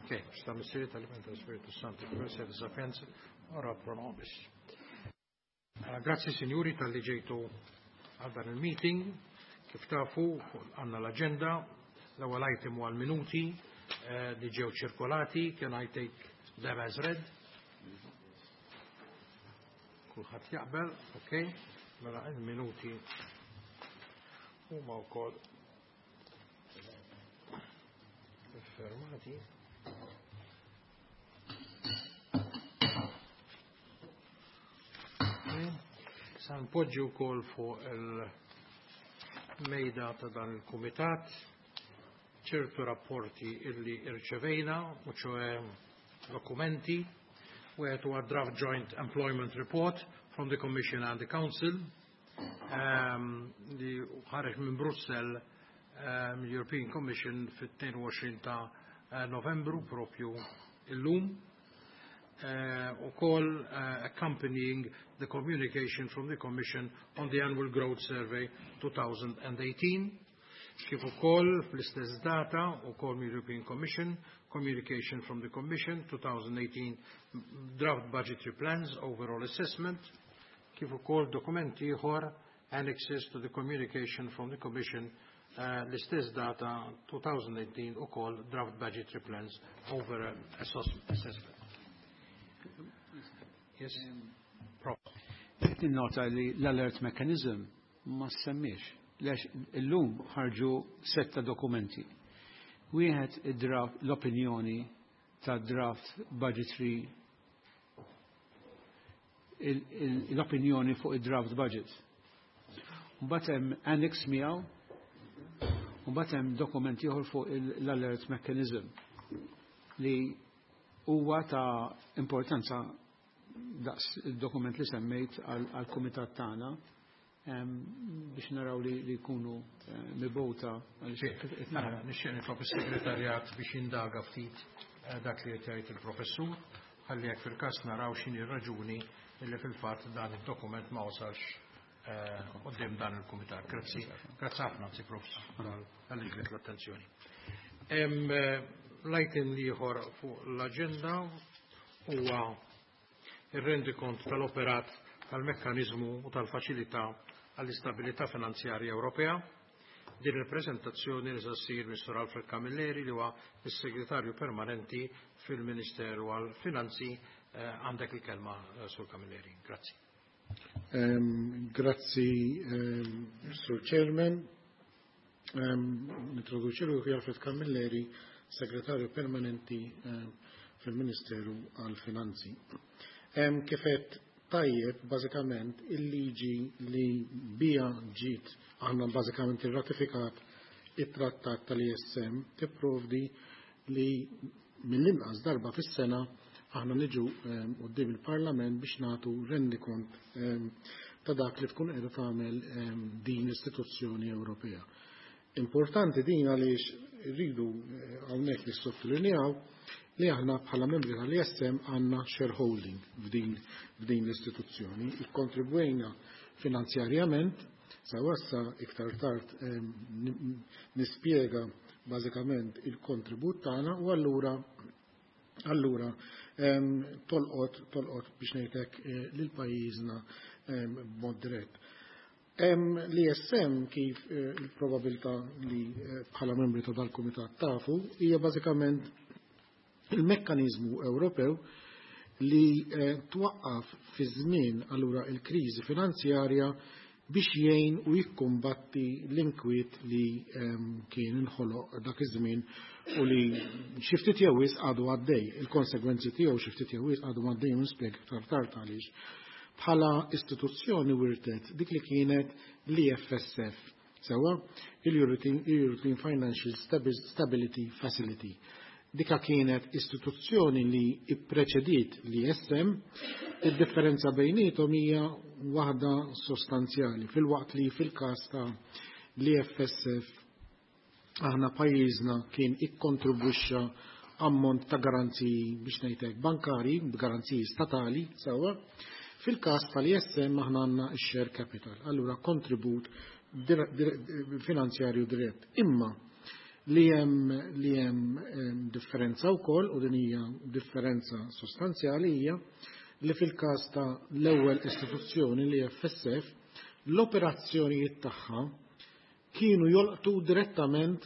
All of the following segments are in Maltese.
Ok, sta Missieri tal-Iben tal-Spiritu Santo, Grazie di Sapienza, ora pro nobis. Grazzi signori tal-li ġejtu għal dan il-meeting. Kif tafu, għanna l-agenda, l-ewwel item huwa l-minuti li ġew ċirkolati, can I take them as read? Kulħadd jaqbel, ok, mela il-minuti huma wkoll fermati. Sa npoġġi wkoll fuq il-mejda ta' dan il-kumitat ċertu rapporti illi irċevejna, u ċoe dokumenti, wieħed huwa draft joint employment report from the Commission and the Council, li ħareġ minn Brussell, European Commission, fit-22 ta' Novembru, propju illum, u koll accompanying the communication from the Commission on the Annual Growth Survey 2018, kif ukoll fl-istess data ukoll mill European Commission, Communication from the Commission 2018 Draft Budgetary Plans Overall Assessment, kif ukoll dokumenti ieħor, annexes to the communication from the Commission, l-istess data 2018, ukoll Draft Budgetary Plans Overall Assessment. Yes. Prof. Nota li l-alert mechanism ma semmiex. Lex illum ħarġu setta dokumenti. Wieħed id-draft, l-opinjoni ta' draft budgetary, l-opinjoni fuq id-draft budget. Mbagħad hemm annex miegħu, mbagħad hemm dokument ieħor fuq l-alert mechanism li huwa ta' importanza daqs il-dokument li semmejt għal-kumitat tagħna biex naraw li jkunu mibgħuta. Nixtieq nitlob is-segretarjat biex jindaga ftit dak li qed jgħid il-professur, ħalli jekk fil-każ naraw x'inhi r-raġuni li fil-fatt dan id-dokument ma wasalx quddiem dan il-kumitat. Grazzi, grazzi ħafna, anzi prof, għal l-attenzjoni. L-item ieħor fuq l-aġenda huwa ir-rendikont tal-operat tal-mekkanizmu u tal-faċilità għall-istabilità finanzjarja Ewropea. Din il-prezentazzjoni li se ssir Mr. Alfred Camilleri, li huwa is-segretarju permanenti fil-Ministeru għall-Finanzi. Għandek il-kelma, Sur Camilleri. Grazzi. Grazzi, Sur Chairman. Nintroduċi ruħi, Alfred Camilleri, segretarju permanenti fil-Ministeru għall-Finanzi. Kif għedt tajjeb, bażikament il-liġi li bija ġiet aħna bażikament irratifikat it-trattat tal-ISM tipprovdi li mill-inqas darba fis-sena aħna niġu quddiem il-Parlament biex nagħtu rendikont ta' dak li tkun qiegħda tagħmel din l-istituzzjoni Ewropea. Importanti din għaliex rridu hawnhekk nissottolinjaw li aħna bħala membri tal-ISM għandna shareholding f'din l-istituzzjoni. Ikkontribwejna finanzjarjament, sa wassa iktar tard nispjega bażikament il-kontribut tagħna, u allura tolqot biex ngħidlek lil pajjiżna b'mod dirett. L-ISM, kif il-probabilità li bħala membri ta' dal-kumitat tafu, hija bażikament il-mekkanizmu Ewropew li twaqqaf fi żmien allura il-kriżi finanzjarja biex jgħin u jikkumbatti l-inkwiet li kien inħoloq dak iż-żmien u li xi ftit jew wisq għadu għaddej. Il-konsegwenzi tiegħu xi ftit jew wisq għadu għaddej, u nispjega iktar tard għaliex. Bħala istituzzjoni wirtet dik li kienet l-EFSF, sewa il-European Financial Stability Facility. Dika kienet istituzzjoni li ippreċediet l-ISM, id-differenza bejnietom hija waħda sostanzjali. Fil-waqt li fil-każ ta' l-EFSF aħna pajjiżna kien ikkontribwixxa ammont ta' garanziji, biex ngħidlek, bankari, garanziji statali, sewa, fil-każ tal-ISM aħna għandna share capital, allura kontribut finanzjarju dirett. Imma Li hemm differenza wkoll, u din hija differenza sostanzjali, hija li fil-każ ta' l-ewwel istituzzjoni, l-EFSF, l-operazzjonijiet tagħha kienu jolqtu direttament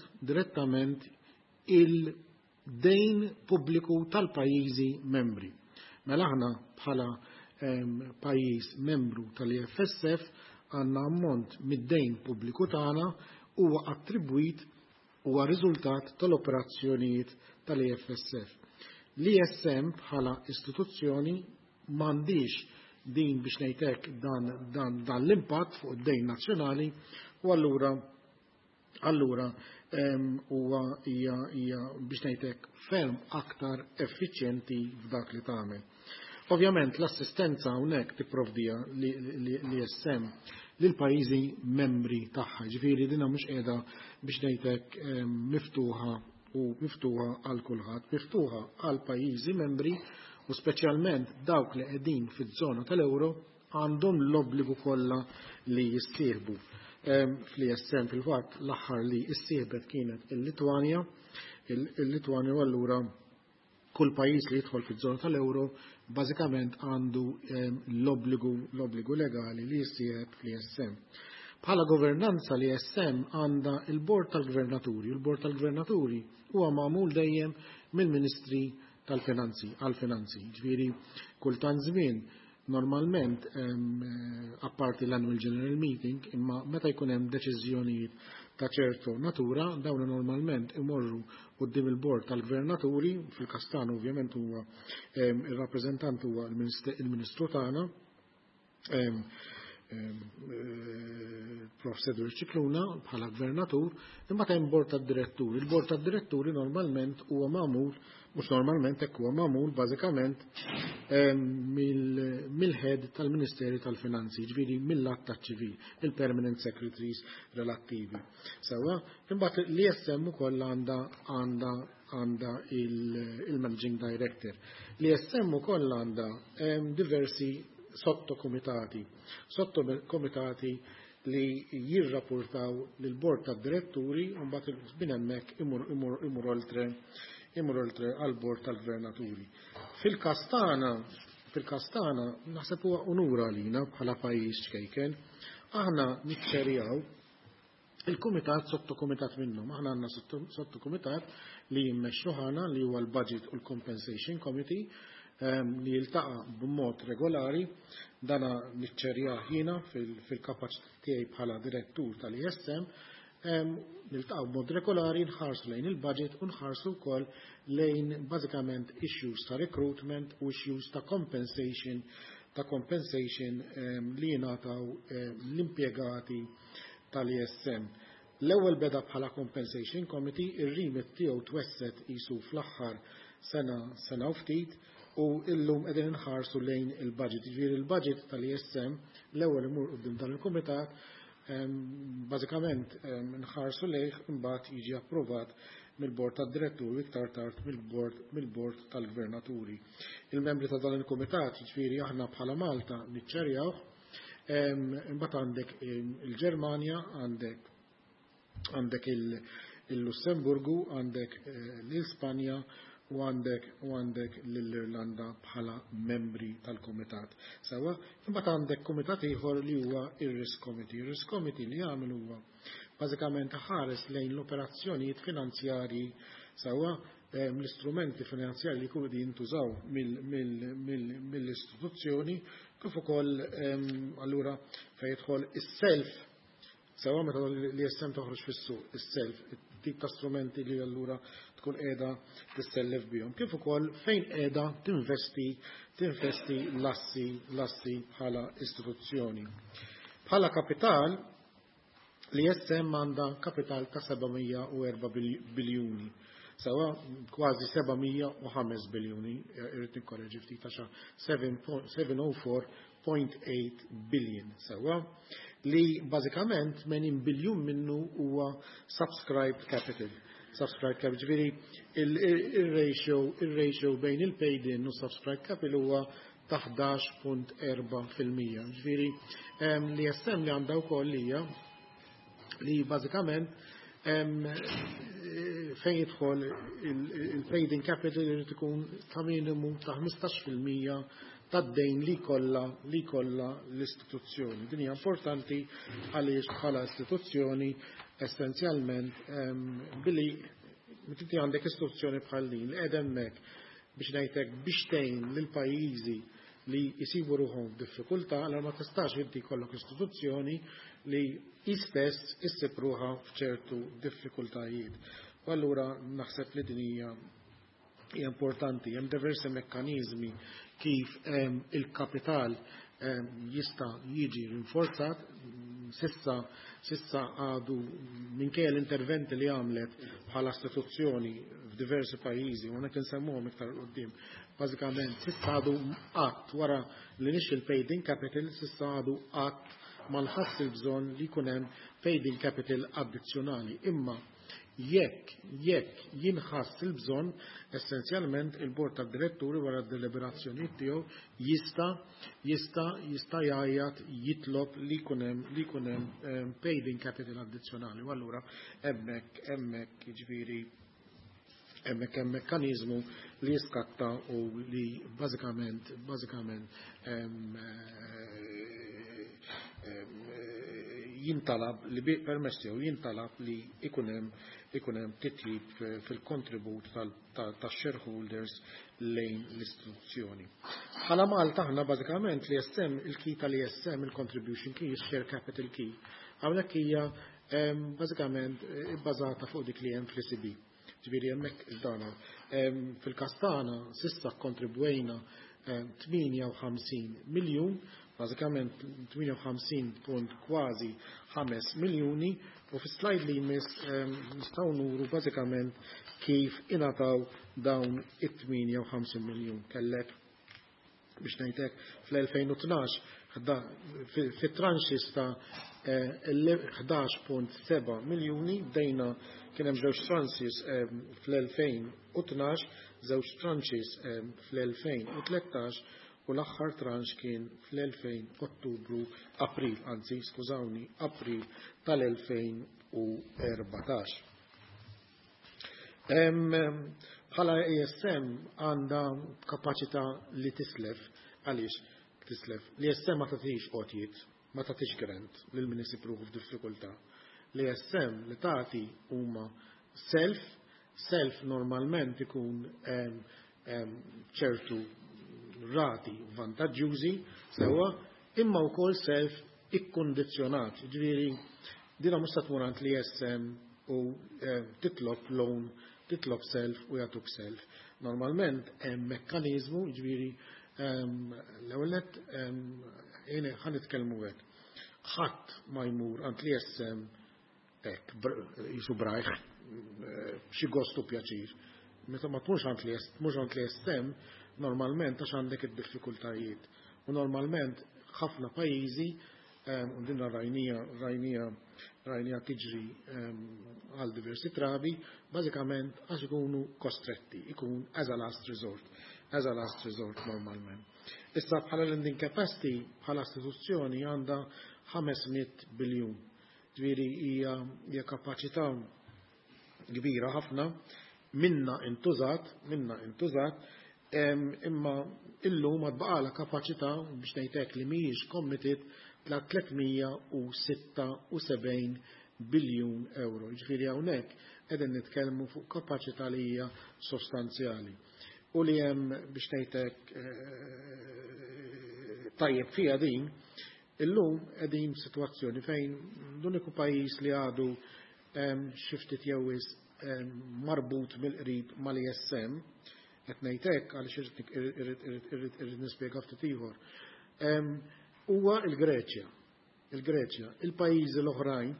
il-dejn pubbliku tal-pajjiżi membri. Mela aħna bħala pajjiż membru tal-EFSF għandna ammont mid-dejn pubbliku tagħna huwa attribwit, huwa riżultat tal-operazzjonijiet tal-EFSF. L-ESM bħala istituzzjoni m'għandix din, biex ngħidlek, dan l-impatt fuq id-dejn nazzjonali u allura huwa hija, biex ngħidlek, ferm aktar effiċjenti f'dak li tagħmel. Ovvjament l-assistenza hawnhekk tipprovdija l-ESM lil pajjiżi membri tagħha, ġifieri dina mhux qiegħda, biex ngħidlek, miftuħa u miftuħa għal kulħadd, miftuħa għal pajjiżi membri u speċjalment dawk li qegħdin fiż-żona tal-euro għandhom l-obbligu kollha li jissieħbu. Fl-ESM fil-fatt l-aħħar li issieħbet kienet il-Litwanja, il-Litwanja, u allura kull pajjiż li jidħol fiż-żona tal-euro bażikament għandu l-obbligu legali li jissieħeb fl-ESM. Bħala governanza, l-ESM għandha il-Bord tal-Gvernaturi. Il-Bord tal-Gvernaturi huwa magħmul dejjem mill-Ministri tal-Finanzi għal-Finanzi. Ġifieri kultant żmien, normalment apparti l-Annual General Meeting, imma meta jkun hemm deċiżjonijiet ta' ċertu natura, dawn normalment imorru quddiem il-Bord tal-Gvernaturi. Fil-każ tagħna ovvjament huwa il-rappreżentant huwa il-Ministru tagħna, Prof. Cedric Scicluna bħala gvernatur, imma hemm bord tad-diretturi. Il-bord tad-diretturi normalment huwa magħmul, mhux normalment, hekk huwa magħmul bażikament mill-head tal-Ministeri tal-Finanzi, ġifieri mill-att taċ-ċivil, il-permanent secretaries relattivi. Sewa, imbagħad l-ESM ukoll għandha il-Managing Director. L-ESM ukoll għandha diversi sottokomitati, sottokomitati li jirrapportaw lill-bord tad-diretturi u mbagħad minn hemmhekk imur oltre għal-bord tal-gvernaturi. Fil-każ tagħna naħseb huwa unura għalina bħala pajjiż ċkejken, aħna niċċerjaw il-kumitat, sottokumitat minnhom. Aħna għandna sottokumitat li jimmexxu ħana li huwa l-Budget u l-Compensation Committee li jiltaqa' b'mod regolari. Dana niċċerjah jiena fil-kapaċità tiegħi bħala direttur tal-ESM. Niltaqgħu b'mod regolari, nħarsu lejn il-budget u nħarsu wkoll lejn bażikament issues ta' recruitment u issues ta' compensation li jingħataw l-impjegati tal-ESM. L-ewwel beda bħala Compensation Committee, ir-remit tiegħu twesset isu fl-aħħar sena, sena u ftit, u illum qegħdin inħarsu lejn il-budget. Ġifieri il-budget tal-ESM l-ewwel imur quddiem dan il-kumitat, bażikament nħarsu lejh, imbagħad jiġi approvat mill-bord tad-diretturi, iktar tard mill-bord tal-gvernaturi. Il-membri ta' dan il-kumitat, ġifieri aħna bħala Malta niċċerjawh, imbagħad għandek il-Ġermanja, għandek il-Lussemburgu, għandek l-Ispanja u għandek l-Irlanda bħala membri tal-komitat. Sewa, imbagħad għandek komitat ieħor li huwa ir-Risk Committee. Ir-Risk Committee li jagħmel huwa bażikament ħares lejn l-operazzjonijiet finanzjarji, sewa, l-istrumenti finanzjarji li jkunu jintużaw mill-istituzzjoni, kif ukoll allura fejn jidħol is-self, sewa, meta l-ESM toħroġ fis-suq, is-self, tip ta' strumenti li allura tkun qiegħda tissellef bihom. Kif ukoll fejn qiegħda tinvesti l-assi bħala istituzzjoni. Bħala kapital, l-ESM għandha kapital ta' 704 biljuni. Sewa, kważi 705 biljuni, irrid nikkoreġi ftit għax 704.8 billion. Sewa, li bażikament 80 biljun minnu huwa subscribed capital. Subscribed capital, ġifieri il-ratio bejn il-paid in u subscribed capital huwa ta' 11.4%. Ġifieri l-ESM li għandha wkoll hija li bażikament Fejn jidħol il-paid-in capital irid ikun ta' minimu ta' 15% tad-dejn li jkollha l-istituzzjoni. Din hija importanti għaliex bħala istituzzjoni, essenzjalment, billi inti għandek istituzzjoni bħal din li qiegħda hemmhekk biex ngħidlek biex tgħin lil pajjiżi li jisibu ruħhom f'diffikultà, allora ma tistax inti jkollok istituzzjoni li istess issib ruħha f'ċertu diffikultajiet. U allura naħseb li din hija importanti. Hemm diversi mekkaniżmi kif il-kapital jista' jiġi rinforzat. Sissa għadu, minkejja l-interventi li għamlet bħala istituzzjoni f'diversi pajjiżi, u hekk insemmuhom iktar quddiem, bażikament s'issa għadu qatt, wara li nixxi il-paid in capital, s'issa għadu qatt ma nħass il-bżonn li jkun hemm paid in capital addizzjonali. Imma jekk jinħass il-bżonn, essenzjalment il-bord tad-diretturi, wara d-deliberazzjoni tiegħu, jista' jgħajjat jitlob li jkun hemm paid in capital addizzjonali. U allura hemmhekk, jiġifieri, hemmhekk hemm mekkaniżmu li jiskatta u li bażikament jintalab li permess jew jintalab li ikun hemm titjib fil-kontribut tax-shareholders lejn l-istituzzjoni. Bħala Malta aħna bażikament l-ESM, il-key tal-ESM, il-contribution key, il-share capital key, hawnhekk hija bażikament bbażata fuq dik li hemm fl-ECB. Ġifieri hemmhekk dana. Fil-każ tagħna s'issa kontribwejna 58 miljun, bażikament 58 punt kważi 5 miljuni, u fi slide li jmiss nistgħu nuru bażikament kif ingħataw dawn it-58 miljun. Kellek, biex ngħidlek, fl-2012 fit-tranches ta' 11.7 miljuni bdejna. Kien hemm żewġ tranches fl-2012, żewġ tranches fl-2013 u l-aħħar tranche kien fl-2000 Ottubru, April, anzi, skużawni, April tal-2014. Bħala ESM għandha kapaċità li tislef. Għaliex tislef? L-ESM ma tagħtix għotjiet, ma tagħtix grant lil min isib ruħu f'diffikultà. L-ESM li tagħti huma self. Self normalment ikun ċertu rati vantaġġjużi, sewwa, imma wkoll self ikkondizzjonat. Ġifieri, dina mhux se tmur għand l-ESM u titlob loan, titlob self u jagħtuk self. Normalment hemm mekkaniżmu, ġifieri, l-ewwel nett ħa nitkellmu hekk. Ħadd ma jmur għand l-ESM hekk jisu brajħ xi gostu pjaċir. Meta ma tmurx għand li tmurx għand l-ESM, normalment għax għandek id-diffikultajiet. U normalment ħafna pajjiżi, u dinna rajnija tiġri għal diversi drabi, bażikament għax ikunu kostretti, ikun as a last resort, as a last resort normalment. Issa bħala lending capacity, bħala istituzzjoni għandha 500 biljun. Ġifieri hija kapaċità kbira ħafna, minna intużat, imma illum għad baqala kapaċità, biex ngħidlek, li mhijiex committed ta' 376 biljun euro. Ġifieri hawnhekk qegħdin nitkellmu fuq kapaċità li hija sostanzjali. U li hemm, biex ngħidlek, tajjeb fiha din, illum qegħdin f'sitwazzjoni fejn l-uniku pajjiż li għadu xi ftit jew wisq marbut mill-qrib mal-ESM, qed ngħid hekk għaliex irrid nispjega ftit ieħor, huwa il-Greċja. Il-Greċja, il-pajjiżi l-oħrajn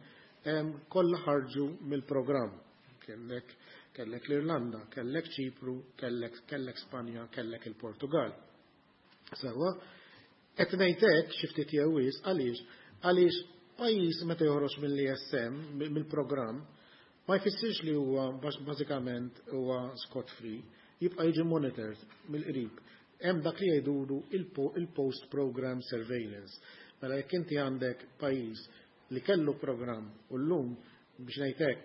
kollha ħarġu mill-programm. Kellek l-Irlanda, kellek Ċipru, kellek Spanja, kellek il-Portugal. Sewwa, qed ngħid hekk xi ftit jew wisq għaliex pajjiż meta joħroġ mill-ESM, mill-programm, ma jfissirx li huwa bażikament huwa scot free, jibqa' jiġi monitored mill-qrib. Hemm dak li jgħidulu il-post program surveillance. Mela jekk inti għandek pajjiż li kellu programm u llum biex ngħid hekk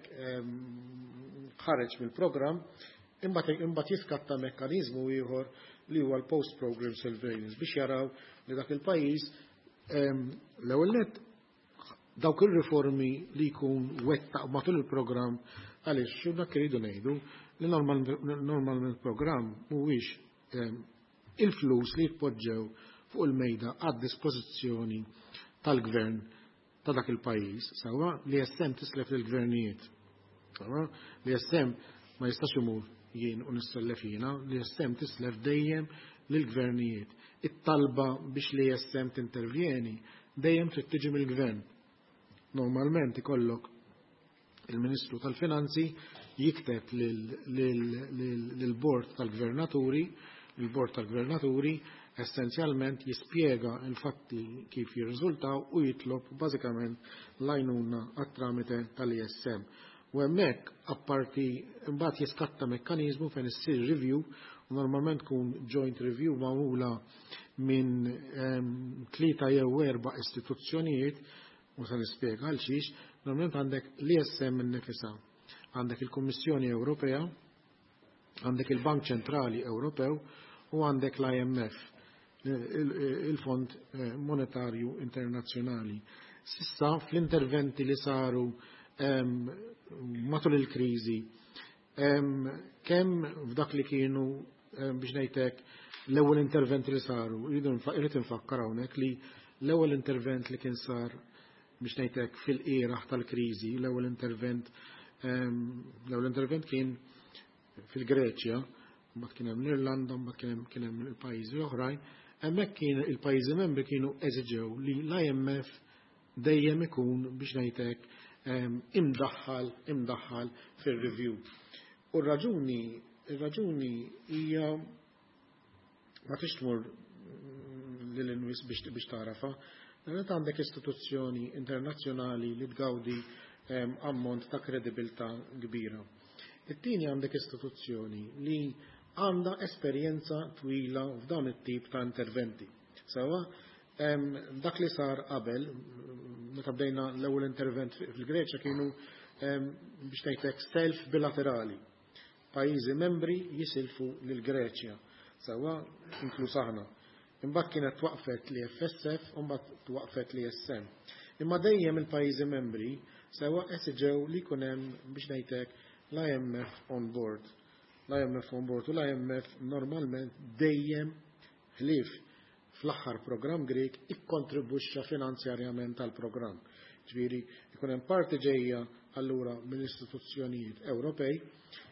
ħareġ mill-programm, imbagħad jiskatta mekkaniżmu ieħor li huwa l-post program surveillance biex jaraw li dak il-pajjiż l-ewwel nett dawk ir-riformi li jkun wettaq matul il-programm, għaliex xi dak iridu ngħidu li normalment il-programm mhuwiex il-flus li jitpoġġew fuq il-mejda għad dispożizzjoni tal-gvern ta' dak il-pajjiż, sewwa, l-ESM tislef lill-gvernijiet. Sewwa, l-ESM ma jistax imur jien u nissellef jiena, l-ESM tislef dejjem lill-gvernijiet. It-talba biex l-ESM tintervjeni dejjem trid tiġi mill-gvern. Normalment ikollok il-Ministru tal-Finanzi jikteb lill-Bord tal-Gvernaturi, il-Bord tal-Gvernaturi essenzjalment jispjega l-fatti kif jirriżultaw u jitlob bażikament l-għajnuna għat-tramite tal-ESM. U hemmhekk apparti imbagħad jiskatta mekkaniżmu fejn issir review u normalment tkun joint review magħmula minn tlieta jew erba' istituzzjonijiet, u se nispjega għal xiex. Normalment għandek l-ESM innifisha, għandek il-Kummissjoni Ewropea, għandek il-Bank Ċentrali Ewropew u għandek l-IMF, il-Fond Monetarju Internazzjonali. S'issa fl-interventi li saru matul il-kriżi, kemm f'dak li kienu, biex ngħidlek, l-ewwel interventi li saru, irrid infakkar hawnhekk li l-ewwel intervent li kien sar, biex ngħidlek, fil-qiegħ tal-kriżi, l-ewwel intervent kien fil-Greċja, mbagħad kien hemm l-Irlanda, mbagħad kien hemm il-pajjiżi oħrajn. Hemmhekk kien il-pajjiżi membri kienu eżiġew li l-IMF dejjem ikun, biex ngħidlek, imdaħħal fir-review. U r-raġuni hija ma tix tmur lil hinn wisq biex tagħrafha. Meta għandek istituzzjoni internazzjonali li tgawdi ammont ta' kredibilità kbira. It-tieni, għandek istituzzjoni li għandha esperjenza twila f'dawn it-tip ta' interventi. Sewwa, dak li sar qabel, meta bdejna l-ewwel intervent fil-Greċja, kienu, biex ngħidlek, self bilaterali. Pajjiżi membri jisilfu lil Greċja, sewwa, inkluż aħna. Imbagħad kienet twaqfet l-EFSF u mbagħad twaqfet l-ESM. Imma dejjem il-pajjiżi membri, sewwa, esiġew li jkun hemm, biex ngħidlek, l-IMF on board. L-IMF on board, u l-IMF normalment dejjem, ħlief fl-aħħar programm Grek, ikkontribwixxa finanzjarjament tal-programm. Ġifieri ikun hemm parti ġejja allura mill-istituzzjonijiet Ewropej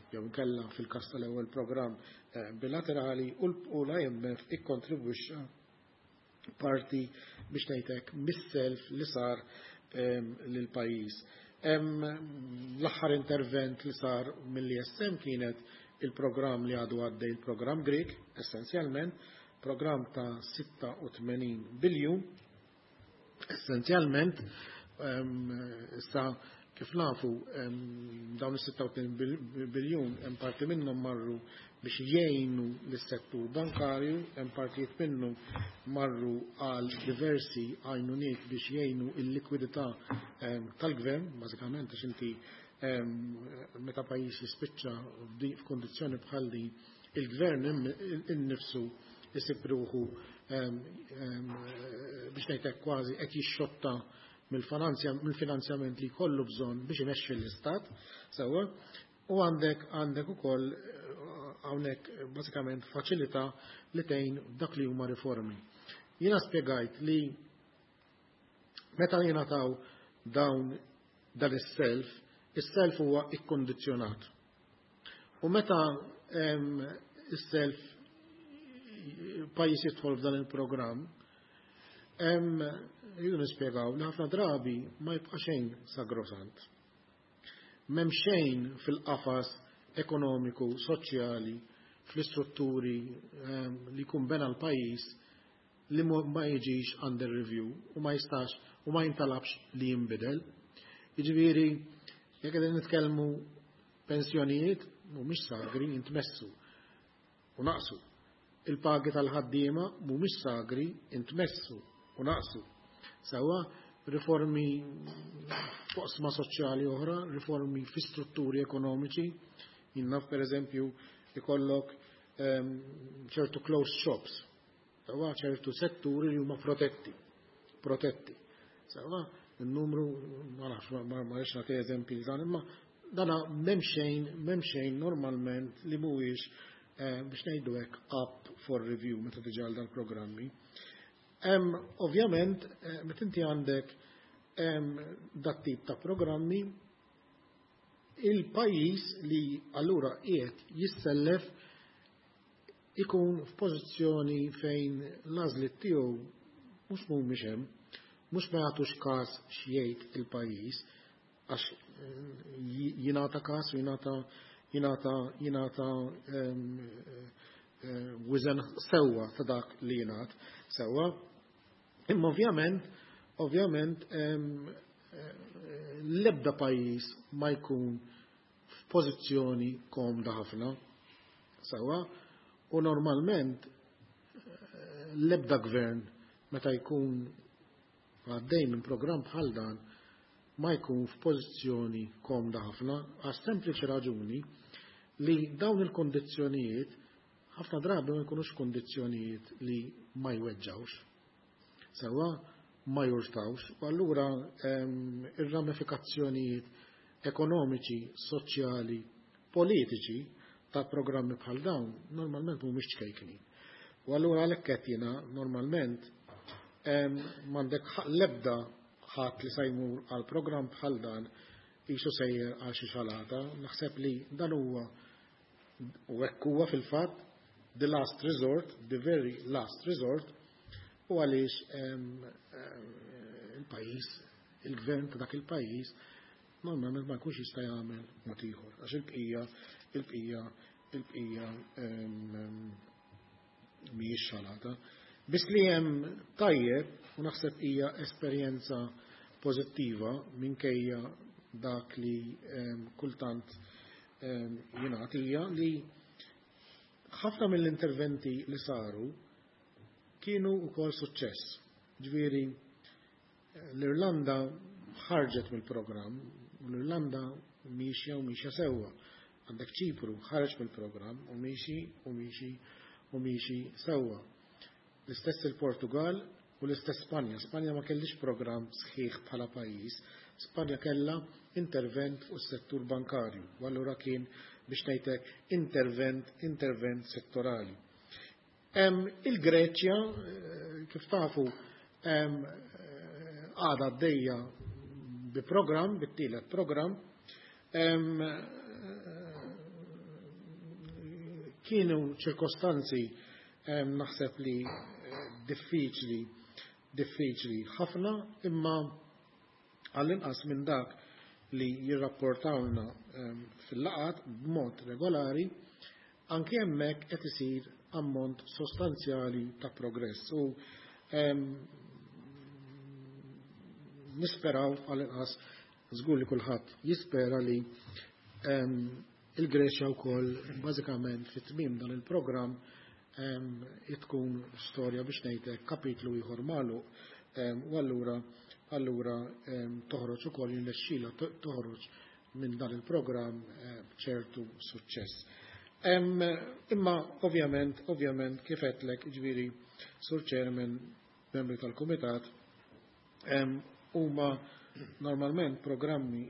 jew inkella fil-każ tal-ewwel programm bilaterali u l-IMF ikkontribwixxa parti, biex ngħidlek, mis-self li sar lil pajjiż. L-aħħar intervent li sar mill-ESM kienet il-programm li għadu għaddej, il-programm Grek, essenzjalment, programm ta' 86 biljun. Essenzjalment, issa kif nafu, dawn is-86 biljun hemm parti minnhom marru biex jgħinu lis-settur bankarju, hemm partijiet minnhom marru għal diversi għajnuniet biex jgħinu il-likwidità tal-gvern, bażikament għax inti meta pajjiż jispiċċa f'kondizzjoni bħal din, il-gvern innifsu isib ruħu, biex ngħidlek, kważi qed jixxotta mill-finanzjament li jkollu bżonn biex imexxi l-istat, sewwa, u għandek ukoll hawnhekk bażikament faċilità li tgħin dak li huma riformi. Jiena spjegajt li meta jingħataw dawn dan is-self, is-self huwa ikkondizzjonat. U meta is-self pajjiż jidħol f'dan il-programm, jridu nispjegaw li ħafna drabi ma jibqa' xejn sagrosant. M'hemm xejn fil-qafas ekonomiku, soċjali, fl-istrutturi li jkun bena l-pajjiż li ma jiġix under review u ma jistax u ma jintalabx li jinbidel. Jiġifieri, jekk qegħdin nitkellmu pensjonijiet, mhumiex sagri, intmessu u naqsu. Il-pagi tal-ħaddiema mhumiex sagri, intmessu u naqsu. Sewwa, riformi. f'oqsma soċjali oħra, riformi fi strutturi ekonomiċi. Jien naf, per eżempju, ikollok ċertu closed shops, sewwa, ċertu setturi li huma protetti, protetti. Sewwa, il-numru, ma nafx, ma rridx nagħti eżempji dan, imma dana m'hemm xejn normalment li mhuwiex, biex ngħidu hekk, up for review meta tiġi għal dal-programmi. Ovvjament, meta inti għandek dat tip ta' programmi, il-pajjiż li allura qiegħed jissellef ikun f'pożizzjoni fejn l-għażliet tiegħu mhux mhumiex hemm, mhux ma jagħtux każ x'jgħid il-pajjiż, għax jingħata każ u jingħata wiżen sewwa ta' dak li jingħad sewwa. Imma ovvjament l-ebda pajjiż ma jkun f'pożizzjoni komda ħafna. Sewwa, u normalment l-ebda gvern meta jkun għaddej minn programm bħal dan ma jkun f'pożizzjoni komda ħafna, għas sempliċi raġuni li dawn il-kondizzjonijiet ħafna drabi ma jkunux kondizzjonijiet li ma jweġġawx. Sewwa, ma jurtawx, u allura ir-ramifikazzjonijiet ekonomiċi, soċjali, politiċi ta' programmi bħal dawn normalment mhumiex ċkejknin. U allura għalhekk qed jiena normalment m'għandek l-ebda ħadd li se jmur għal programm bħal dan qisu sejjer għal xi xalata. Naħseb li dan huwa, u hekk huwa fil-fatt, the last resort, the very last resort, u għaliex il-pajjiż, il-gvern ta' dak il-pajjiż normalment ma jkunx jista' jagħmel mod ieħor, għax il-bqija mhijiex xalata. Biss li hemm tajjeb, u naħseb hija esperjenza pożittiva minkejja dak li kultant jingħad, hija li ħafna mill-interventi li saru kienu wkoll suċċess. Ġifieri l-Irlanda ħarġet mill-programm u l-Irlanda miexja u miexja sewwa. Għandek Ċipru ħareġ mill-programm u miexi u miexi u miexi sewwa. L-istess il-Portugal u l-istess Spanja. Spanja ma kellix programm sħiħ bħala pajjiż. Spanja kellha intervent fuq is-settur bankarju, u allura kien, biex ngħidlek, intervent settorali. Il-Greċja, kif tafu, għadha għaddejja bi programm, bit-tielet programm. Kienu ċirkostanzi, naħseb li diffiċli, diffiċli ħafna, imma għall-inqas minn dak li jirrapportawna fil-laqgħat b'mod regolari, anke hemmhekk qed isir ammont sostanzjali ta' progress. U nisperaw, għall-inqas żgur li kulħadd jispera, li il-Greċja wkoll bażikament fit-tmiem dan il-programm tkun storja, biex ngħidlek, kapitlu ieħor magħluq, u allura toħroġ ukoll, jirnexxilha toħroġ minn dan il-programm b'ċertu suċċess. Imma ovvjament, kif għedtlek, ġifieri, Sur Chairman, membri tal-Kumitat, huma normalment programmi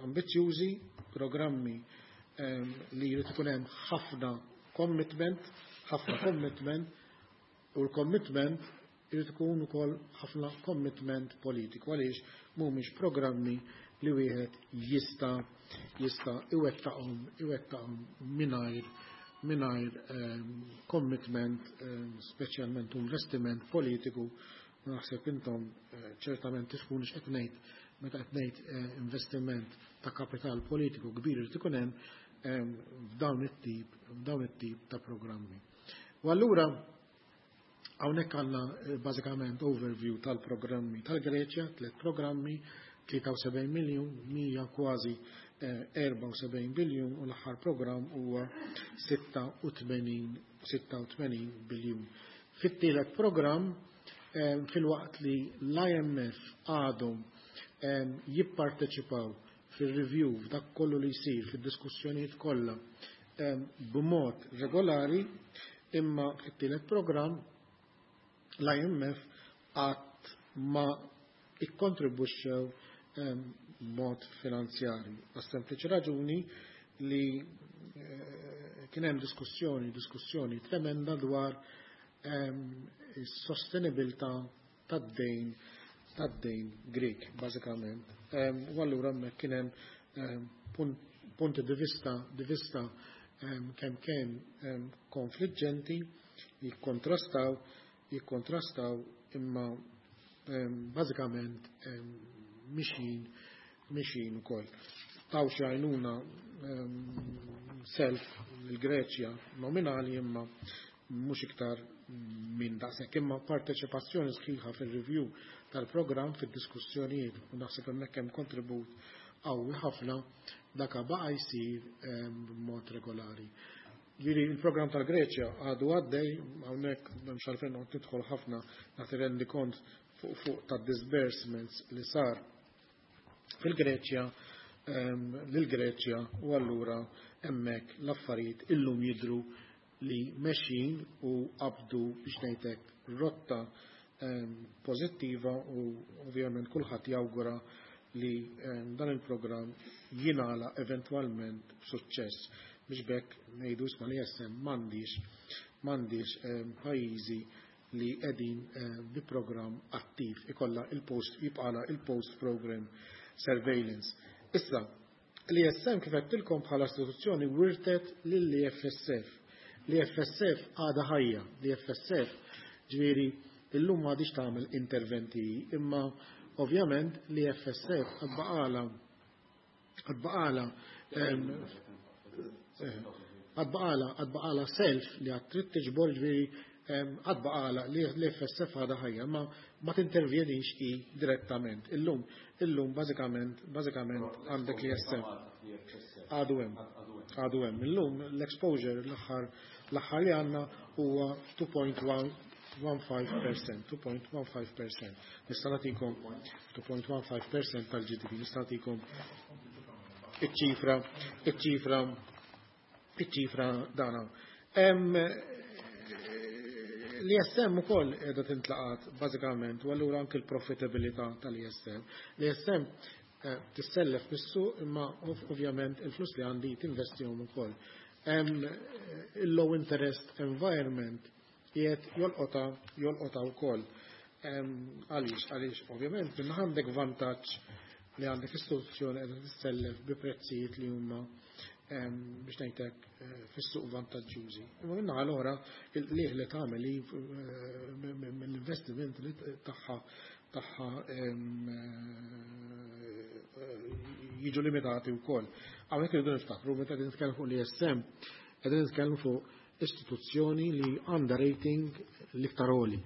ambizzjużi, programmi li jrid ikun hemm ħafna commitment, ħafna commitment, u l-commitment jrid ikun ukoll ħafna commitment politiku, għaliex mhumiex programmi li wieħed jista' iwettaqhom mingħajr commitment, speċjalment investiment politiku. Naħseb intom ċertament tifhmuni x'qed ngħid meta qed ngħid investiment ta' kapital politiku kbir irid ikun hemm f'dawn it-tip ta' programmi. U allura hawnhekk għandna bażikament overview tal-programmi tal-Greċja, tliet programmi, 73 miljun, 100 kważi 74 biljun u l-aħħar programm huwa 86 biljun. Fit-tielet programm, filwaqt li l-IMF għadhom Jipparteċipaw fil-review, f'dak kollu li jsir, fid-diskussjonijiet kollha b'mod regolari, imma fit-tielet programm l-IMF qatt ma ikkontribwixxew b'mod finanzjarju. Għas-sempliċi raġuni li kien hemm diskussjoni tremenda dwar is-sostenibilità tad-dejn Grek, bażikament. U allura hemmhekk kien hemm punti di vista kemm konfliġġenti, jikkontrastaw, imma bażikament mixjin ukoll. Taw xi għajnuna, self il-Greċja nominali, imma mhux iktar minn daqshekk, imma parteċipazzjoni sħiħa fil-review tal-programm, fid-diskussjonijiet, u naħseb hemmhekk hemm kontribut qawwi ħafna, daka baqa' jsir b'mod regolari. Ġifieri il-programm tal-Greċja għadu għaddej, hawnhekk m'hemmx għalfejn noqgħod nidħol ħafna, nagħti rendikont fuq ta' disbursements li sar fil-Greċja lil-Greċja, u allura hemmhekk l-affarijiet illum jidru li mexjin u qabdu, biex ngħidlek, rotta pożittiva, u ovvjament kulħadd jawgura li dan il-programm jingħala eventwalment b'suċċess biex bekk ngħidu, isma', li jessem m'għandix pajjiżi li qegħdin bi programm attiv, ikolla il-post jibqala il-post program surveillance. Issa, l-ESM, kif għedtilkom, bħala istituzzjoni wirtet lill-EFSF. L-EFSF għada ħajja, l-EFSF ġifieri illum m'għadix tagħmel interventi, imma ovvjament l-EFSF għad baqgħalha self li għad trid tiġbor, ġifieri għad baqgħalha, li l-FSF għadha ħajja, ma ma tintervjenix i direttament. Illum bażikament għandek l-ESM. Għadu hemm. Għadu hemm. Illum l-exposure l-aħħar li għandna huwa 2.15%, 2.15%. Nista' nagħtikom 2.15% tal-GDP, nista' nagħtikom iċ-ċifra dana. L-ESM ukoll qiegħda tintlaqat bażikament, u allura anke l-profitabilità tal-ESM. L-ESM tissellef mis-suq, imma ovvjament il-flus li għandi tinvestihom ukoll. Il-low interest environment qiegħed jolqota wkoll. Għaliex? Għaliex ovvjament minn għandek vantaġġ li għandek istituzzjoni qiegħda tissellef bi prezzijiet li huma, biex ngħidlek, fis-suq vantaġġużi. Imma minna allura il-qliħ li tagħmel mill-investiment li tagħha jiġu limitati wkoll. Hawnhekk irridu niftakru, meta qegħdin nitkellmu fuq l-ESM, qegħdin nitkellmu fuq istituzzjoni li għandha rating l-iktar għoli.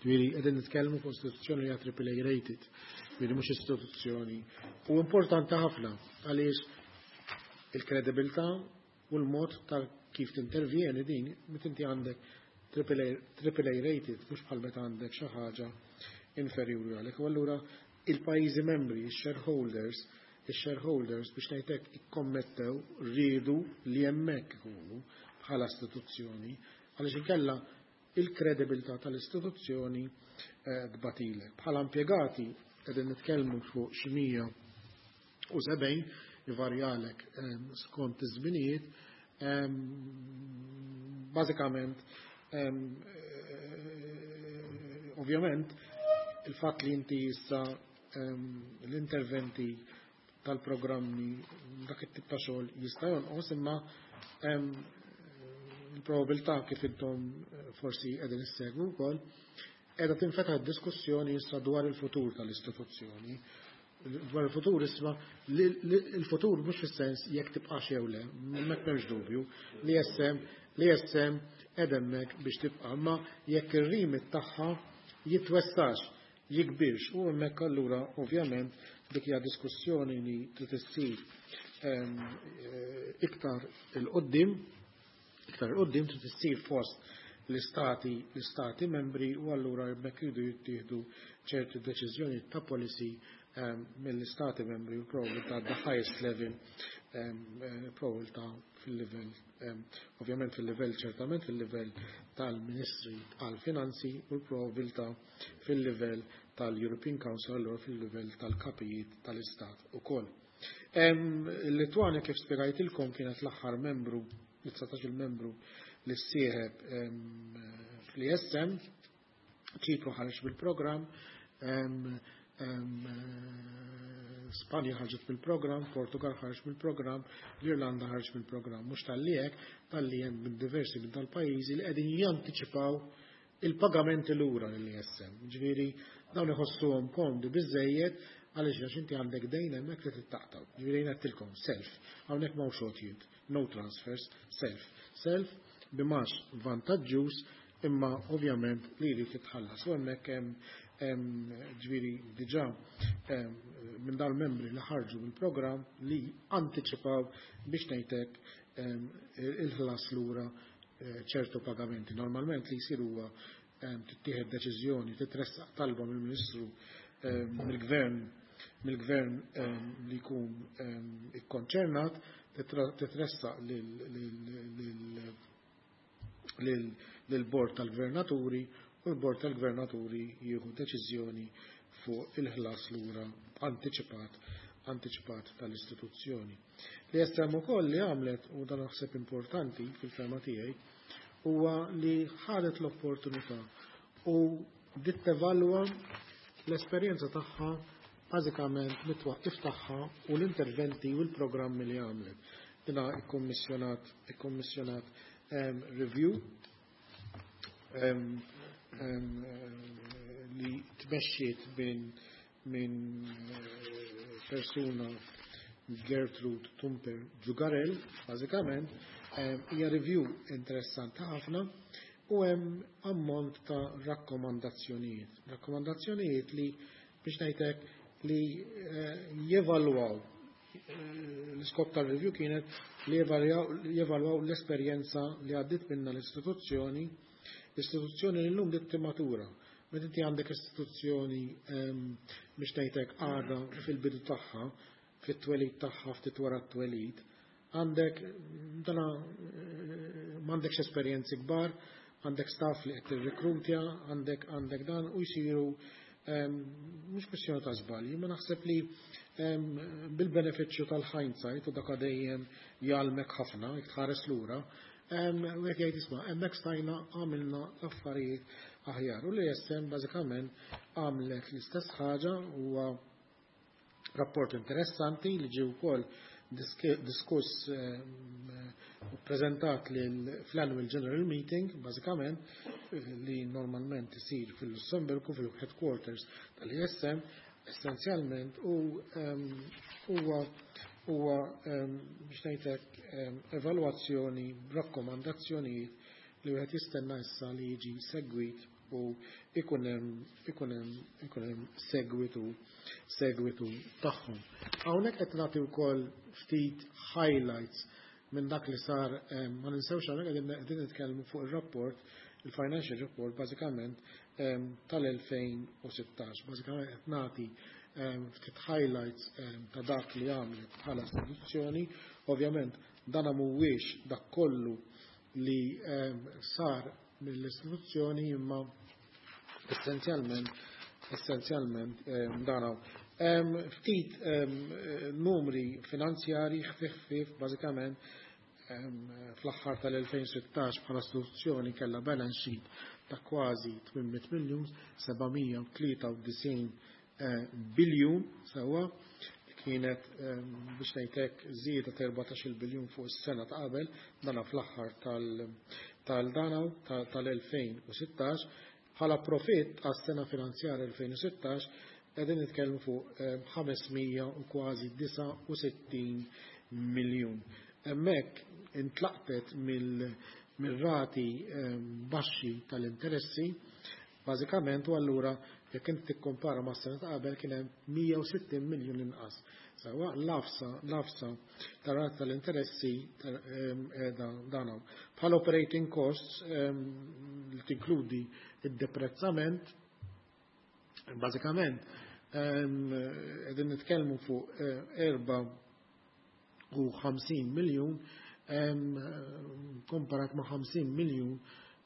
Ġifieri qegħdin nitkellmu fuq istituzzjoni li hija AAA rated, ġifieri mhux istituzzjoni. U importanti ħafna għaliex il-kredibilità u l-mod ta' kif tintervjeni din meta inti għandek AAA rated, mhux bħal meta għandek xi ħaġa inferjuri għalek. U allura il-pajjiżi membri, il-shareholders, biex ngħidlek, ikkommettew, riedu li hemmhekk ikunu bħala istituzzjoni, għaliex inkella il-kredibilità tal-istituzzjoni tbatilek. Bħala impjegati qegħdin nitkellmu fuq xi 170, ivarjalek skont iż-żminijiet, bażikament ovvjament il-fatt li inti issa l-interventi tal-programmi, dak it-tip ta' xogħol jista' jonqos, imma il-probabilità, kif intom forsi qegħdin issegwu wkoll, qiegħda tinfetaħ diskussjoni issa dwar il-futur tal-istituzzjoni. Dwar il-futur, isma', il-futur mhux fis-sens jekk tibqax jew le, m'hemmx dubju li l-ESM hemmhekk biex tibqa', ma jekk ir-remit tagħha jitwessax, jikbirx, u hemmhekk allura ovvjament dik hija diskussjoni li trid issir iktar 'il quddiem, iktar 'il quddiem trid issir fost l-istati membri, u allura hemmhekk jridu jittieħdu ċerti deċiżjoni ta' policy. mill-istati membri u probabilità the highest level, probabilità fil-livell, ovvjament fil-livell, ċertament fil-livell tal-Ministri għal-Finanzi u l-probabilità fil-livell tal-European Council, allura fil-livell tal-kapijiet tal-Istat ukoll. Il-Litwanja, kif spjegajtilkom, kienet l-aħħar membru, 19 membru li ssieħeb fl-ESM. Ċipru ħareġ bil-programm, Spanja ħarġet mill-programm, Portugal ħarġ mill-programm, l-Irlanda ħarġ mill-programm. Mhux talli hekk, talli hemm minn diversi minn dal-pajjiżi li qegħdin jantiċipaw il-pagamenti lura lill-ESM. Ġifieri dawn iħossuhom komdi biżejjed għaliex għax inti għandek dejn hemmhekk li tittaqtaw. Ġifieri ngħidtilkom self, hawnhekk m'hawnx għotjiet, no transfers, self. Self b'imgħax vantaġġuż imma ovvjament li jrid jitħallas. U hemmhekk hemm ġifieri diġà minn dal-membri li ħarġu mill-programm li antiċipaw, biex ngħidlek, il-ħlas lura ċertu pagamenti. Normalment li jsiru huwa tittieħed deċiżjoni, titressaq talba mill-Ministru, mill-gvern li jkun ikkonċernat, titressaq lill-Bord tal-Gvernaturi u l-Bord tal-Gvernaturi jieħu deċiżjoni fuq il-ħlas lura antiċipat tal-istituzzjoni. Li ESM ukoll li għamlet, u dan naħseb importanti fil-fehma tiegħi, huwa li ħadet l-opportunità u bdiet tevalwa l-esperjenza tagħha bażikament mit-twaqqif tagħha u l-interventi u l-programmi li għamlet. Dina ikkommissjonat review li tmexxiet minn persuna, Gertrude Tumper Ġugarel, bażikament, hija review interessanti ħafna u hemm ammont ta' rakkomandazzjonijiet. Rakkomandazzjonijiet li, biex ngħidlek, li jevalwaw, l-iskop tal-review kienet li jevalwaw l-esperjenza li għaddit minna l-istituzzjoni li l-lum bdiet timmatura. Meta inti għandek istituzzjoni, biex ngħidlek, għadha fil-bidu tagħha, fit-twelid tagħha, ftit wara t-twelid, għandek dana m'għandekx esperjenzi kbar, għandek staff li qed tirrekrutja, għandek dan u jsiru mhux kwestjoni ta' żbalji, ma naħseb li bil-benefiċċju tal-hindsight, u dak dejjem jgħallmek ħafna, jekk tħares lura, u jekk jgħid, "Isma', hemmhekk stajna għamilna affarijiet aħjar." U l-ESM bażikament għamlet l-istess ħaġa. Huwa rapport interessanti li ġie wkoll diskuss u prezentat fl-Annual General Meeting, bażikament, li normalment isir fil-Lussemburgu, fil-headquarters tal-ESM, essenzjalment, u huwa, biex ngħidlek, evalwazzjoni, rakkomandazzjonijiet li wieħed jistenna issa li jiġi segwit u ikun hemm segwitu tagħhom. Hawnhekk qed nagħti wkoll ftit highlights minn dak li sar. Ma ninsewx, hawnhekk qegħdin nitkellmu fuq ir-rapport, il-financial report bażikament tal-2016. Bażikament qed nagħti ftit highlights ta' dak li għamlet bħala istituzzjoni. Ovvjament dan mhuwiex dak kollu li sar mill-istituzzjoni, imma essenzjalment dan hawn. Ftit numri finanzjari ħfif ħfif, bażikament fl-aħħar tal-2016 bħala istituzzjoni kellha balance sheet ta' kważi 800 miljun, 793 biljun, sewwa, kienet, biex ngħidlek, żieda ta' 14 biljun fuq is-sena ta' qabel, dana fl-aħħar tal-danaw tal-2016. Bħala profit għas-sena finanzjarja 2016 qegħdin nitkellmu fuq 500 u kważi 69 miljun. Hemmhekk intlaqtet mill-rati baxxi tal-interessi, bażikament, u allura jekk inti tikkompara ma' sena ta' qabel kien hemm 160 miljun inqas. Sewwa, l-għafsa tar-rati tal-interessi dan hawn. Bħala operating costs, li tinkludi id-deprezzament, bażikament Qegħdin nitkellmu fuq 54 miljun komparat ma' 50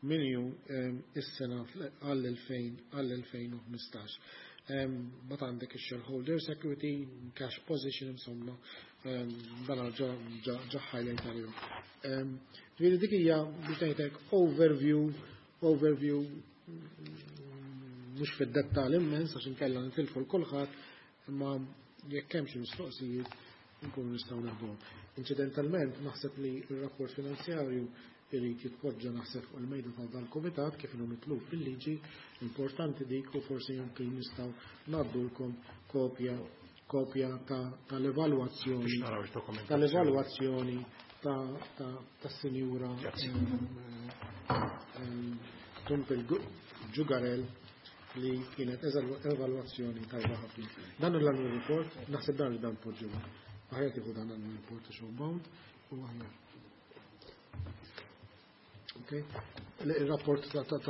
miljun is-sena għall-2015. But għandek il-shareholders equity, cash position, insomma, dan ġa highlight għalihom. Ġifieri dik hija, biex ngħidlek, overview mhux fid-dettall immens għax inkella nitilfu 'l kulħadd, imma jekk hemm xi mistoqsijiet nkunu nistgħu naħduhom. Incidentalment, naħseb li r-rapport finanzjarju irid jitpoġġa, naħseb, fuq il-mejda ta' dal-kumitat kif inhu mitlub fil-liġi, importanti dik, u forsi anke nistgħu ngħaddulkom kopja tal-evalwazzjoni tal-evalwazzjoni tas-Sinjura Tumpel Gugerell li kienet evalwazzjoni tajba ħafna. Dan l-annual report, naħseb dan li dan poġġu. Aħjar tieħu dan l-annual report għax bound u aħjar. Ok? Il-rapport ta' dak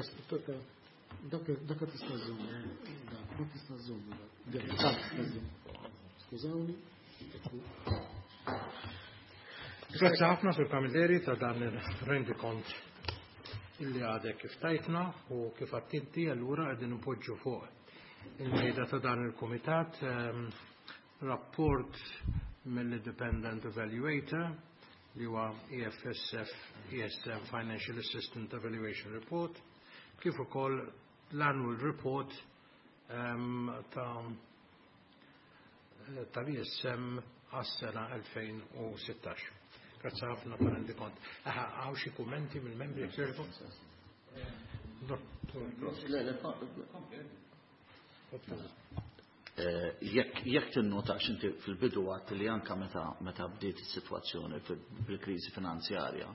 tista' żżomm, dak tista' żżomm, dak tista' żżomm. Skużawni. Grazzi ħafna, Sur Camilleri, ta' dan il-rendikont illi għadek kif tajtna, u kif għedt inti allura qegħdin npoġġu fuq il-mejda ta' dan il-komitat rapport mill-Independent Evaluator li huwa EFSF ESM Financial Assistance Evaluation Report, kif ukoll l-Annual Report ta' tal-ESM għas-sena 2016. Grazzi ħafna tal rendikont. Aha, hawn xi kummenti mill-membri jekk? Dottor. Le, jekk tinnota inti fil-bidu għedt li anka meta bdiet is-sitwazzjoni bil-kriżi finanzjarja,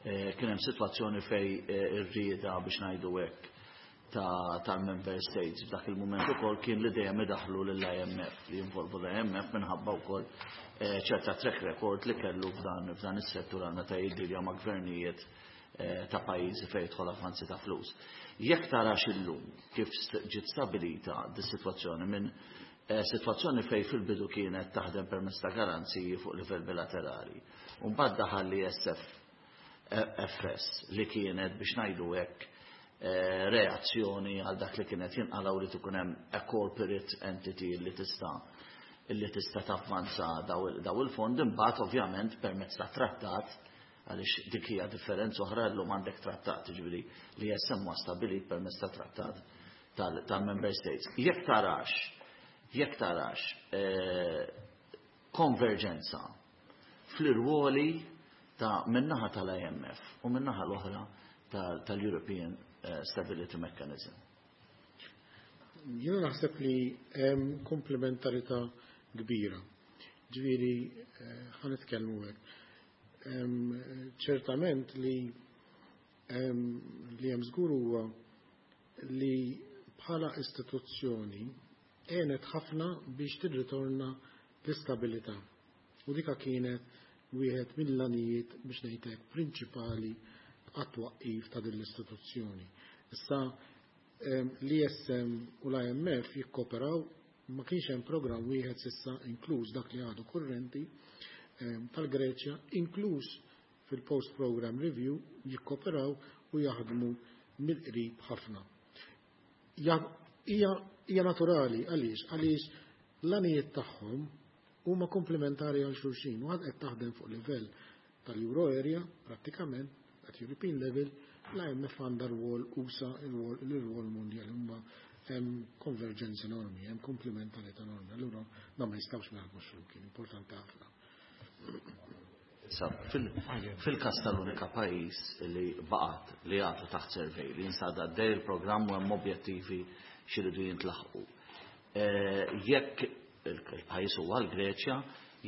kien hemm sitwazzjoni fej ir-rieda, biex ngħidu hekk, tal-member states f'dak il-moment ukoll kien li dejjem idaħlu lill-IMF, li jinvolvu l-IMF minħabba wkoll ċerta track record li kellu f'dan is-settur għal meta jiddilja ma' gvernijiet ta' pajjiżi fejn jidħol avvanzi ta' flus. Jekk tarax illum kif ġiet stabilita dis-sitwazzjoni minn sitwazzjoni fej fil-bidu kienet taħdem permezz ta' garanziji fuq livell bilaterali. U mbagħad daħal l-ESF FS li kienet, biex ngħidu hekk, reazzjoni għal dak li kienet jinqalaw li tkun hemm a corporate entity li tista' tavvanza daw il-fond, imbagħad ovvjament permezz ta' trattat, għaliex dik hija differenza oħra, llum għandek trattat, ġifieri li ESM huwa stabilit permezz ta' trattat tal-member states. Jekk tarax konverġenza fl-irwoli ta' min-naħa tal-IMF u min-naħa l-oħra tal-European Stability Mechanism. Jiena naħseb li hemm komplementarità kbira. Ġifieri ħa nitkellmu hekk. Ċertament li hemm żgur huwa li bħala istituzzjoni għenet ħafna biex tirritorna l-istabilità. U dika kienet wieħed mill-għanijiet, biex ngħidlek, prinċipali għat-twaqqif ta' din l-istituzzjoni. Issa l-ESM u l-IMF jikkoperaw, ma kienx hemm programm wieħed s'issa, inkluż dak li għadu kurrenti tal-Greċja, inkluż fil-post program review, jikkoperaw u jaħdmu mill-qrib ħafna. Hija naturali għaliex l-għanijiet tagħhom huma komplementari għal xulxin u għad qed taħdem fuq livell tal-Euro area, prattikament at European level, l-IMF għandha rwol usa, il-rwol mondjali, huma hemm konverġenza enormi, hemm komplementarità enormi. Allura dan ma jistgħux ma jaħdmux flimkien, importanti ħafna. Issa, fil-kas tal-unika pajjiż li baqat li għadu taħt survey, li jinsab għaddej il-programm u hemm objettivi x'iridu jintlaħqu. Jekk il-pajjiż huwa l-Greċja,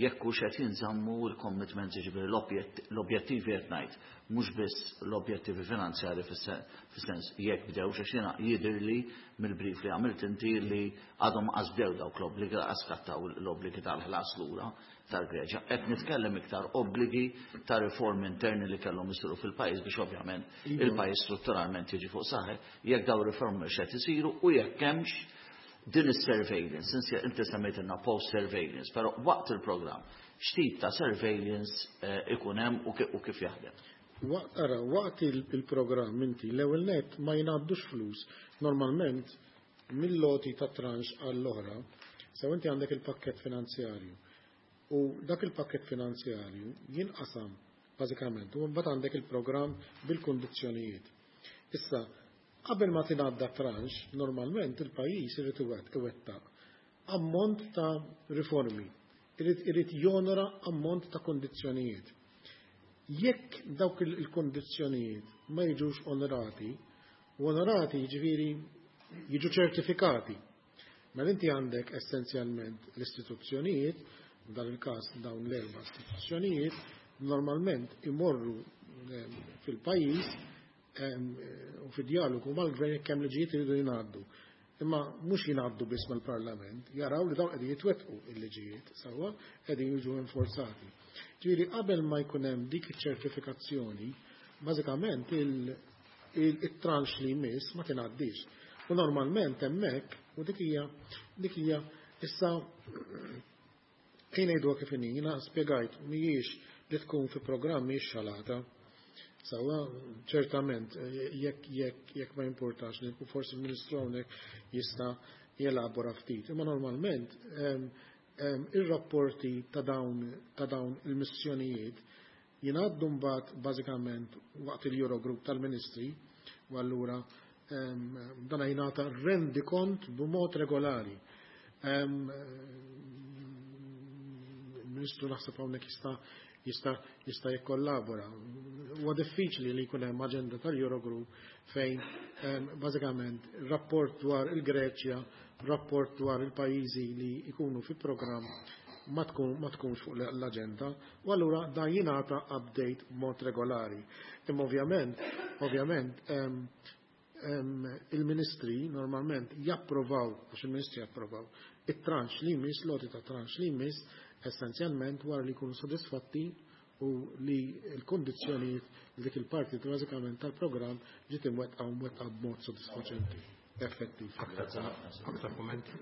jekk hux qed jinżammu l-commitments, jiġifieri l-objettivi qed ngħid, mhux biss l-objettivi finanzjari, fis-sens jekk bdew, għax jiena jidhirli mill-brief li għamilt inti li għadhom qas bdew dawk l-obbligi, qaskattaw l-obbligi tal-ħlas lura tal-Greċja. Qed nitkellem iktar obbligi ta' riformi interni li kellhom isiru fil-pajjiż biex ovvjament il-pajjiż strutturalment jiġi fuq saqajh, jekk daw riformi x'qed isiru u jekk hemmx Din is-surveillance, inti semmejtilna post-surveillance, però waqt il-programm, x'tip ta' surveillance ikun hemm u kif jaħdem? Ara, waqt il-programm inti l-ewwel net ma jingħaddux flus. Normalment mill-loti ta' tranche għall-oħra, sew inti għandek il-pakket finanzjarju. U dak il-pakket finanzjarju jinqasam bażikament u mbagħad għandek il-programm bil-kundizzjonijiet. Issa, qabel ma tingħadda tranche, normalment il-pajjiż irid iwettaq ammont ta' riformi, irid jonora ammont ta' kondizzjonijiet. Jekk dawk il-kondizzjonijiet ma jiġux onorati, u onorati jiġifieri jiġu ċertifikati. Mela inti għandek essenzjalment l-istituzzjonijiet, f'dan il-każ dawn l-erba' istituzzjonijiet, normalment imorru fil-pajjiż u fid-dialogu mal-gvern jekk hemm liġijiet iridu jingħaddu. Imma mhux jingħaddu biss mal-Parlament, jaraw li dawn qegħdin jitwettqu il-liġijiet, sewwa qegħdin jiġu enforzati. Ġifieri qabel ma jkun hemm dik iċ-ċertifikazzjoni, bażikament il-tranche li jmiss ma tingħaddix. U normalment hemmhekk, u dik hija issa ejja ngħidu kif inhi, jiena spjegajt mhijiex li tkun fi programm mhijiex xalata. Sewwa, ċertament, jekk ma importax, forsi il-Ministru hawnhekk jista' jelabora ftit. Imma normalment ir-rapporti ta' dawn il-missjonijiet jingħaddu mbagħad bażikament waqt il-Eurogroup tal-Ministri u allura dan jingħata rendikont b'mod regolari. Il-Ministru naħseb hawnhekk jista' jikkollabora. Huwa diffiċli li jkun hemm aġenda tal-Eurogroup fejn bażikament rapport dwar il-Greċja, rapport dwar il-pajjiżi li jkunu fi programm ma tkunx fuq l-aġenda u allura dan jingħata update b'mod regolari. Imma ovvjament, il-ministri normalment japprovaw, għax il-ministri japprovaw, it-tranche li jmiss, l-għoti ta' tranche li jmiss, essenzjalment wara li jkunu sodisfatti u li l-kondizzjonijiet li dik il-parti bażikament tal-programm ġiet imwettqa u mwettqa b'mod sodisfaċenti, effettiv. Aktar kommenti?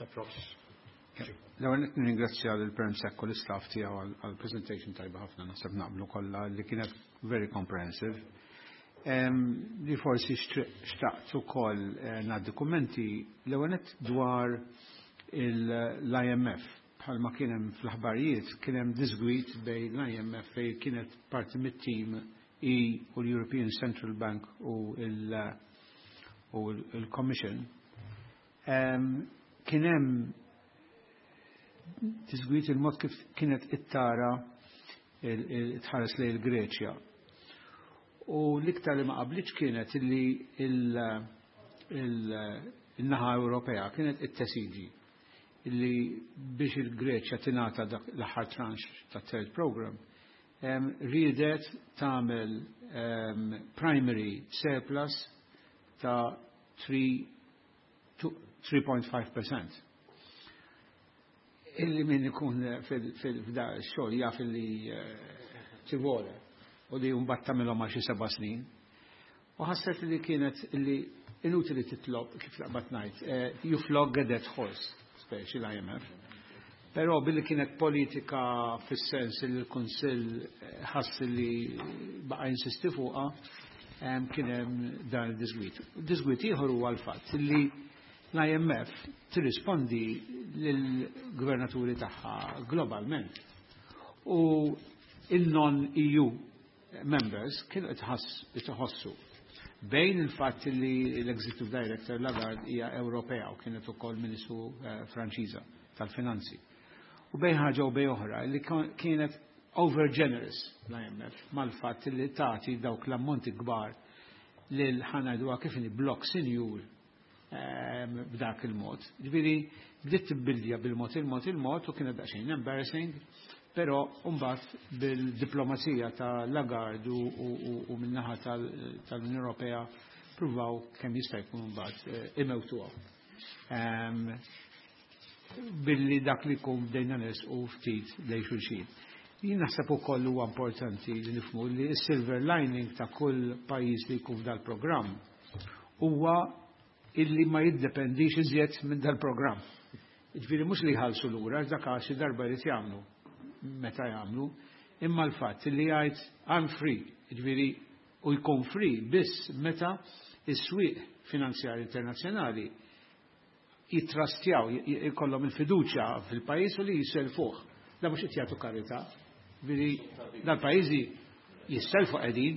Approx. L-ewwel qed nirringrazzja lil Perm Sec u l-istaff tiegħu għal presentation tajba ħafna, naħseb naqblu kollha li kienet very comprehensive. Li forsi xtaqt ukoll ngħaddi kummenti l-ewwel nett dwar l-IMF. Bħalma kien hemm fl-aħbarijiet, kien hemm disgwit bejn l-IMF fejn kienet parti mit-team E u l-European Central Bank u l-Commission. Kien hemm disgwit il-mod kif kienet it-tara tħares lejn il-Greċja. U l-iktar li ma qablitx kienet illi il-naħa Ewropea kienet it-tesiġi illi biex il-Greċja tingħata dak l-aħħar tranche ta' third program riedet tagħmel primary surplus ta' 3.5%. Illi min ikun fil-fda xogħol jaf illi tivole u li mbagħad tagħmilhom għal xi 7 snin. U ħasset li kienet illi inutili titlob, kif laqbat ngħid, you flog a dead horse, speċi l-IMF. Però billi kienet politika fis-sens li l-Kunsill ħass li baqa' insisti fuqha, kien hemm dan il-disgwit. Disgwit ieħor huwa l-fatt li l-IMF tirrispondi lill-gvernaturi tagħha globalment. U il-non-EU members kienu itħossu bejn il-fatt li l-Executive Director Lagarde hija Ewropea u kienet ukoll Ministru Franċiża tal-Finanzi. U bejn ħaġa u bejn oħra li kienet over generous l-IMF mal-fatt li tagħti dawk l-ammonti kbar lil, ħa ngħidu kif inhi, blok sinjur b'dak il-mod. Ġifieri bdiet tibbildja bil-mod il-mod il-mod u kienet daqsxejn embarrassing, però mbagħad bil-diplomazija ta' Lagarde u min-naħa tal-Unjoni Ewropea pruvaw kemm jista' jkun mbagħad imewtuha. Billi dak li jkun bdejna u ftit lejn xulxin. Jien naħseb ukoll huwa importanti li nifhmu li s-silver lining ta' kull pajjiż li jkun f'dal programm huwa illi ma jiddependix iżjed minn dal-programm. Ġifieri mhux li jħallsu lura, dak xi darba jrid jagħmlu meta jagħmlu, imma l-fatt li jgħid "I'm free", ġifieri u jkun free biss meta is-swieq finanzjari internazzjonali jitrastjaw, jkollhom il-fiduċja fil-pajjiż u li jiselfuh. Da mhux qed jagħtu karità. Ġifieri dal-pajjiżi jisselfu qegħdin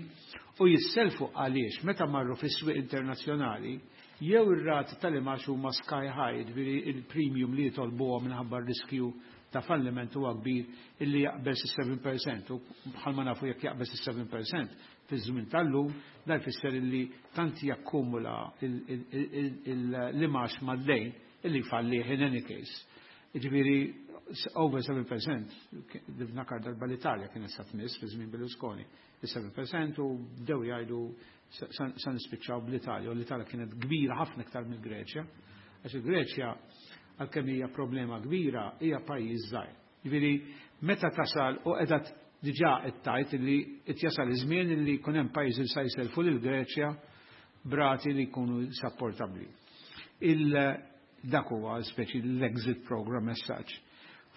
u jisselfu għaliex meta marru fis-swieq internazzjonali jew ir-rati tal-imgħax huma sky high, ġifieri il-premium li jitolbuhom minħabba r-riskju ta' falliment huwa kbir illi jaqbeż is-7%, u bħalma nafu jekk jaqbeż is-7% fi żmien tal-lum, dan jfisser illi tant jakkumula l-imgħax mad-dejn illi jfallih in any case. Ġifieri over 7%, niftakar darba l-Italja kienet sa tmiss fi żmien Berlusconi, il-7%, u bdew jgħidu sa nispiċċaw bl-Italja, u l-Italja kienet kbira ħafna iktar mill-Greċja, għax il-Greċja, għalkemm hija problema kbira, hija pajjiż żgħir. Ġifieri meta tasal u qiegħda diġà qed tgħid li qed jasal iż-żmien li jkun hemm pajjiżi li sa jiselfu lill-Greċja b'rati li jkunu supportabbli. Il dak huwa speċi l-exit program messaġġ.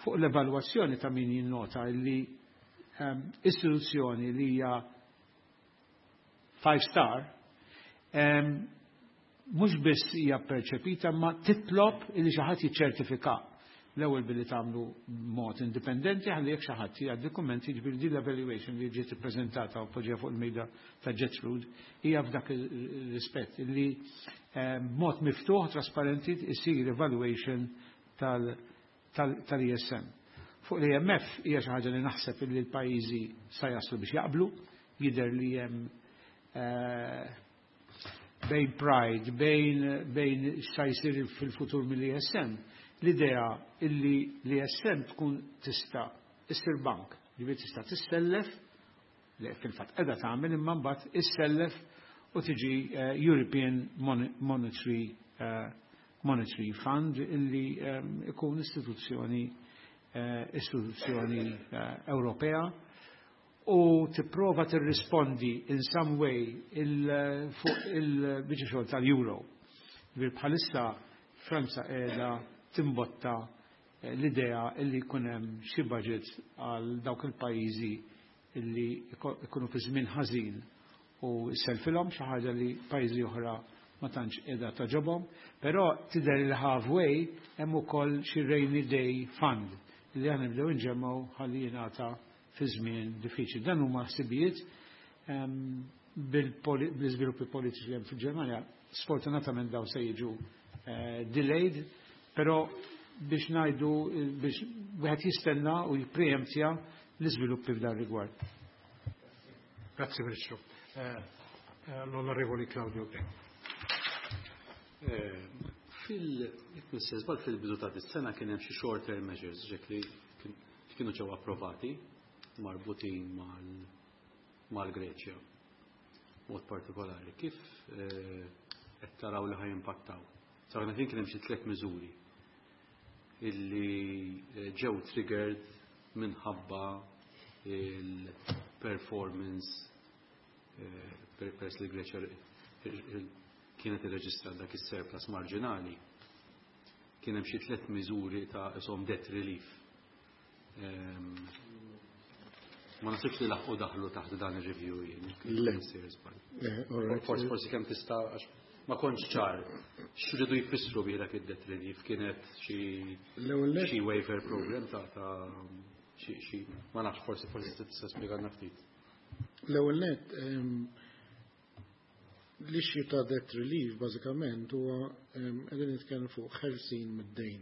Fuq l-evalwazzjoni ta' min jinnota li istituzzjoni li hija five star mhux biss hija perċepita ma titlob li xi ħadd jiċċertifika, l-ewwel billi tagħmlu mod indipendenti ħalli jekk xi ħadd jgħaddi kummenti. Ġifieri din l-evaluation li ġiet ippreżentata u poġġija fuq il-mejda ta' Gertrude hija f'dak ir-rispett li mod miftuħ, trasparenti isir evaluation tal-ESM. Fuq l-IMF hija xi ħaġa li naħseb li l-pajjiżi sa jaslu biex jaqblu, jidher li hemm bejn pride, bejn x'sa jsir fil-futur mill-ESM, l-idea illi l-ESM tkun tista' issir bank, ġifieri tista' tissellef, li fil-fatt qiegħda tagħmel, imma mbagħad issellef u tiġi European Monetary Fund illi ikun istituzzjoni Ewropea u tipprova tirrispondi in some way fuq il-biċċa xogħol tal-Euro. Bħalissa Franza qiegħda timbotta l-idea illi jkun hemm xi budget għal dawk il-pajjiżi illi ikunu fi żmien ħażin u selfilhom, xi ħaġa li pajjiżi oħra ma tantx qiegħda togħġobhom, però tidher il halfway hemm ukoll xi rainy day fund li aħna nibdew inġemmgħu ħalli jingħata fi żmien diffiċli. Dan huma ħsibijiet bil-iżviluppi politiċi li hemm fil-Ġermanja. Sfortunatament daw se jiġu delayed, però biex ngħidu biex wieħed jistenna u jippreemptja l-iżviluppi f'dan rigward. Grazie, Ministru. L-Onorevoli Claudio Grech. Fil fil-bidu ta' dis-sena kien hemm xi short term measures ġek li kienu ġew approvati marbutin mal-Greċja. Mod partikolari, kif qed taraw li ħa jimpattaw? Sarna kien hemm xi tliet miżuri illi ġew triggered minħabba il-performance peress li Greċja kienet irreġistrat dak is-surplus marġinali. Kien hemm xi tliet miżuri ta' isom debt relief. Ma nasibx li laħqu daħlu taħt dan ir-review jien. Le. Forsi kemm tista', għax ma kontx ċar x'ridu jfissru bi dak id-debt relief, kienet xi waiver program ta' xi, ma nafx, forsi tista' spjegalna ftit. L-ewwel net, l-issue ta' debt relief bażikament huwa qegħdin nitkellmu fuq ħelsin mid-dejn.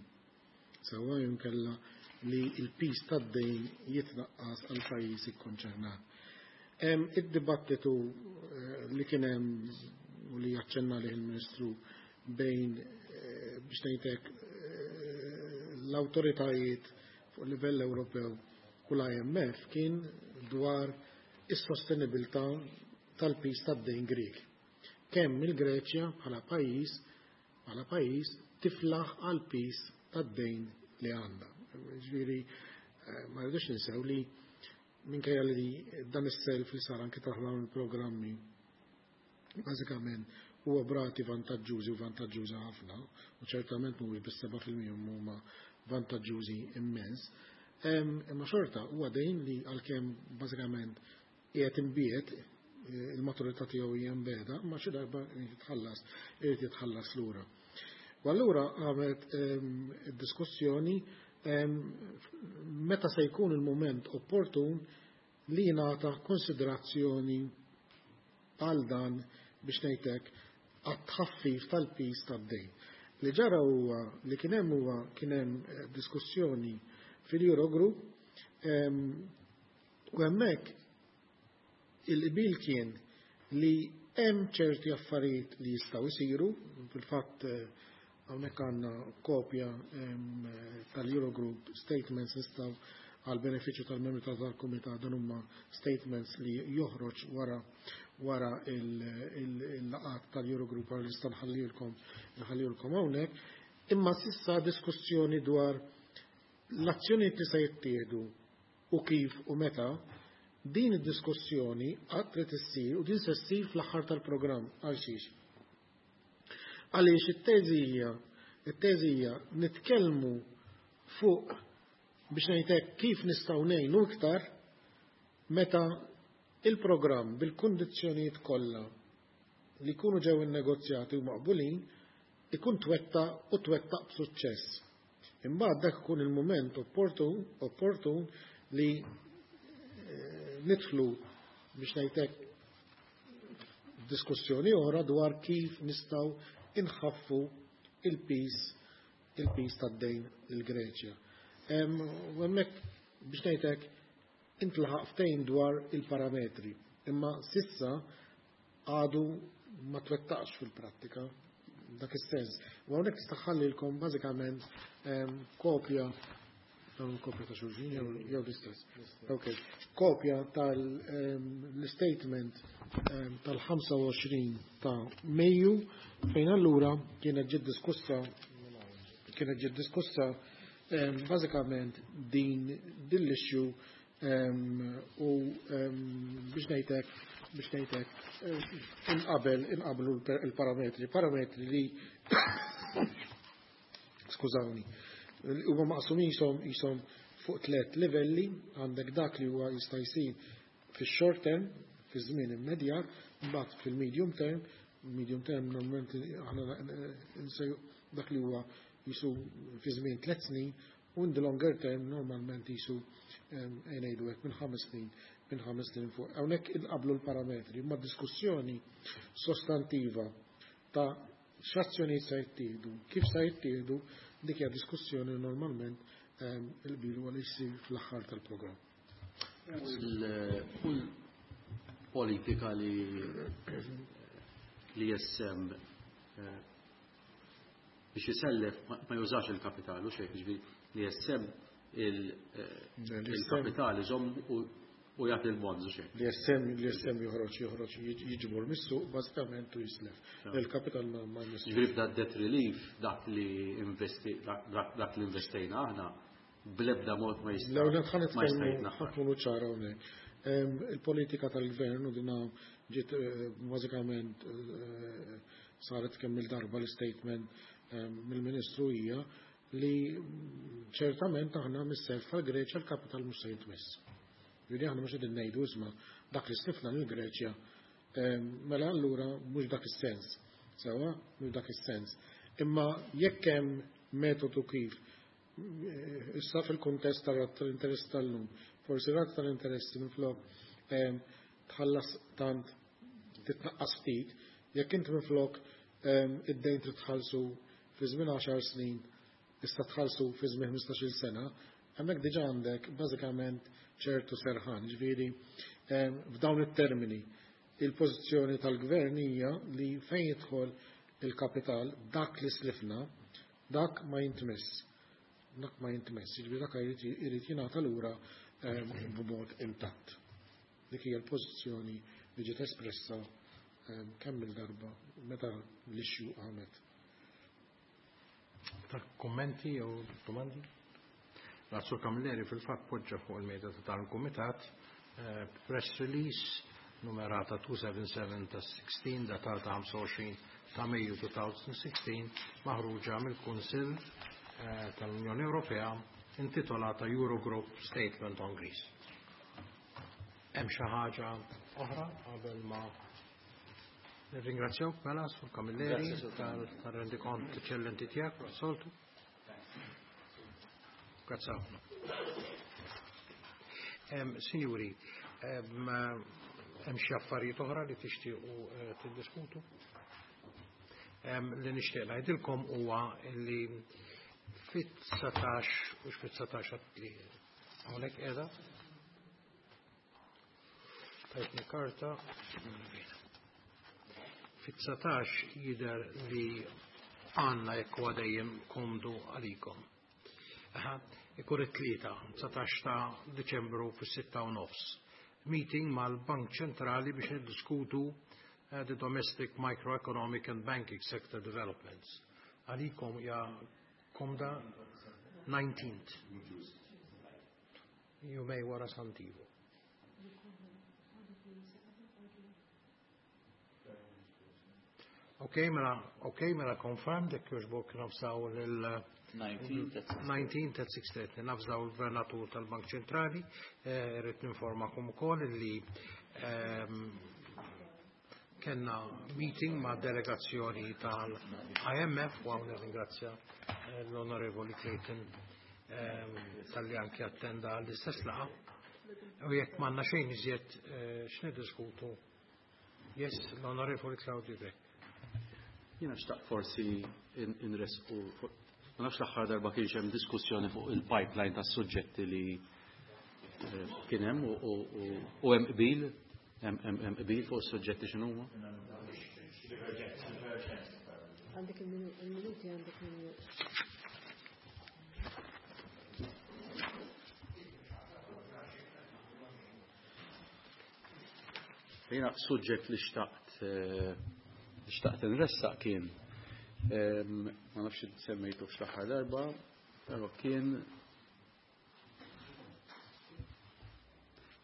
Sewwa, jinkella li l-piż tad-dejn jitnaqqas għal pajjiż ikkonċernat. Id-dibattitu li kien hemm u li jaċċenna li il-Ministru bejn biex ngħidlek l-awtoritajiet fuq livell Ewropew u l-IMF kien dwar is-sostenibilità tal-piż tad-dejn Grek. Kemm il-Greċja bħala pajjiż tiflaħ għal piż tad-dejn li għandha. Ġifieri ma rridux ninsew li minkejja li dan is-self li sar anke taħt dawn il-programmi bażikament huwa b'rati vantaġġużi u vantaġġuża ħafna, u ċertament mhuwiex bis-7% huma vantaġġużi immens. Imma xorta huwa dejn li għalkemm bażikament qiegħed imbiegħed, il-maturità tiegħu hija mbegħda, imma xi darba jitħallas, irid jitħallas lura. U allura għamet diskussjoni meta se jkun il-moment opportun li jingħata konsiderazzjoni għal dan biex ngħidlek għat-tħaffif tal-piż tad-dejn. Li ġara huwa li kien hemm huwa kien hemm diskussjoni fil-Eurogroup u hemmhekk il-qbil kien li hemm ċerti affarijiet li jistgħu jsiru, fil-fatt hawnhekk għandna kopja tal-Eurogroup statements nistgħu għal benefiċċju tal-membri tal-kumitat, dan huma statements li joħroġ wara il-laqat tal-Eurogroup għal nista' nħallilkom hawnhekk, imma s'issa diskussjoni dwar l-azzjonijiet li se jittieħdu u kif u meta, din id-diskussjoni għad trid issir u din se ssir fl-aħħar tal-programm. Għal xiex? Għaliex it-teżi hija nitkellmu fuq biex ngħidlek kif nistgħu ngħinu iktar meta il-programm bil-kundizzjonijiet kollha li jkunu ġew innegozjati u maqbulin ikun twettaq u twettaq b'suċċess. Imbagħad dak ikun il-mument opportun li nidħlu biex ngħidlek diskussjoni oħra dwar kif nistgħu inħaffu il-piż tad-dejn lill-Greċja. U hemmhekk biex ngħidlek intlaħaq ftehim dwar il-parametri, imma s'issa għadu ma twettaqx fil-prattika dak is-sens. U hawnhekk tista' ħallilkom bażikament kopja dawn kopja ta' xulxin jew l-istess. Ok, kopja tal-statement tal-25 ta' Mejju fejn allura kienet ġiet diskussa bażikament din l-issue u biex ngħidlek inqablu il-parametri, parametri li, skużawni, huwa maqsumin jisom fuq tliet livelli. Għandek dak li huwa jista' jsir fix-short term, fi żmien immedjat, mbagħad fil-medium term, medium term normalment aħna dak li huwa jisu fi żmien 3 snin, u in the longer term normalment jisu ngħidu hekk minn 5 snin fuq. Hawnhekk inqablu l-parametri, ma diskussjoni sostantiva ta' x'azzjonijiet se jittieħdu, kif se jittieħdu, dik hija diskussjoni normalment il-bilu għal jsir fl-aħħar tal-programm. Kull politika li l-ESM biex jisellef ma jużax il-kapitalu xejn, ġifieri l-ESM il-kapital iżomm u jagħti l-bonds u xejn. L-ESM joħroġ jiġbor mis-suq bażikament u jislef. Il-kapital ma jmissu. Ġifieri b'da debt relief dak li investejna aħna bl-ebda mod ma jista' L-ewwel ħa ma jista' nitkellmu jitnaħħar. Ħa nkunu ċara hawnhekk. Il-politika tal-gvern u dina ġiet bażikament saret kemm il-darba l-statement mill-Ministru hija li ċertament aħna mis-self tal-Greċja l-kapital mhux se jitmiss. Ġifieri aħna mhux qegħdin ngħidu, isma', dak li slifna lill-Greċja, mela allura mhux dak is-sens. Sewwa, mhux dak is-sens. Imma jekk hemm metodu kif issa fil-kuntest tal-interess tal-lum, forsi rata tal-interessi minflok tħallas tant titnaqqas ftit, jekk inti minflok id-dejn trid tħallsu fi żmien 10 snin, issa tħallsu fi żmien 15-il sena, hemmhekk diġà għandek bażikament ċertu serħan. Ġifieri f'dawn it-termini il-pożizzjoni tal-gvern hija li fejn jidħol il-kapital dak li slifna, dak ma jintmiss. Dak ma jintmiss, ġifieri dak irid jingħata lura b'mod intatt. Dik hija l-pożizzjoni li ġiet espressa kemm il-darba meta l-issue qamet. Ta' kommenti jew domandi? Sur Camilleri fil-fatt poġġa fuq il-mejda ta' tal-Kumitat press release. numerata 277 ta' 16 datata 25 ta' Mejju 2016 maħruġa mill-Kunsill tal-Unjoni Ewropea intitolata Eurogroup Statement on Greece. Hemm xi ħaġa oħra qabel ma nirringrazzjawk mela Sur Camilleri tal-rendikont eċċellenti tiegħek soltu. Grazzi ħafna. Sinjuri, hemm xi affarijiet oħra li tixtiequ tiddiskutu? Li nixtieq ngħidilkom huwa li fit-19 u fit-19 li hawnhekk qiegħda tajtni karta fit-19 jidher li għandna jekk huwa dejjem komdu għalikom. Ikun it-tlieta, 19 ta' Diċembru fis-6:30. Meeting mal-Bank Ċentrali biex niddiskutu the domestic microeconomic and banking sector developments. Għalikom ja komda 19th. Jumejn wara Sant'Ivo. Ok, mela, ok, mela confirmed, jekk jogħġbok navżaw lil 19 at 6:30 navżaw il-Gvernatur tal-Bank Ċentrali, irrid ninformakom ukoll li kellna meeting ma' delegazzjoni tal-IMF u hawn nirringrazzja l-Onorevoli Clayton talli anki attenda l-istess laqgħa. U jekk m'għandna xejn iżjed x'niddiskutu. Yes, l-Onorevoli Claudio Grech. Jiena xtaqt forsi inresqu, ma nafx l-aħħar darba kienx hemm diskussjoni fuq il-pipeline tas-suġġetti li kien hemm u hemm qbil, hemm qbil fuq is-suġġetti x'inhuma. Għandek il-minuti, għandek il Jiena suġġett li xtaqt nressaq kien, ma nafx semmejtu l-aħħar darba, però kien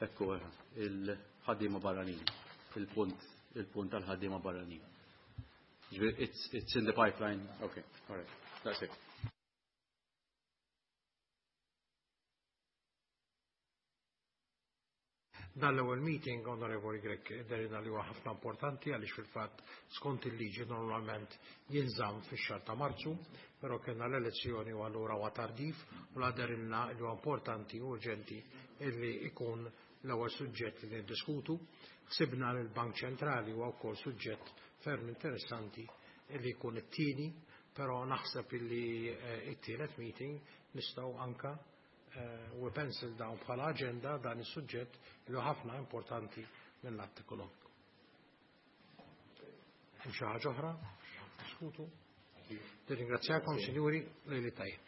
ekku il-ħaddiema barranin, il-punt tal-ħaddiema barranin. It's in the pipeline. Okay, all right, that's it. Dan l-ewwel meeting, Onorevoli Grech, dherna li huwa ħafna importanti għaliex fil-fatt skont il-liġi normalment jinżamm fix-xahar ta' Marzu, però kellna l-elezzjoni u allura huwa tardif u la dherilna li huwa importanti u urġenti illi ikun l-ewwel suġġett li niddiskutu. Ħsibna li l-Bank Ċentrali huwa wkoll suġġett ferm interessanti illi jkun it-tieni, però naħseb illi it-tielet meeting nistgħu anka u pencil down bħala aġenda dan is-suġġett li huwa ħafna importanti mill-att ekonomiku. Hemm xi ħaġa oħra? Diskutu. Nirringrazzjakom, sinjuri, lejli tajjeb.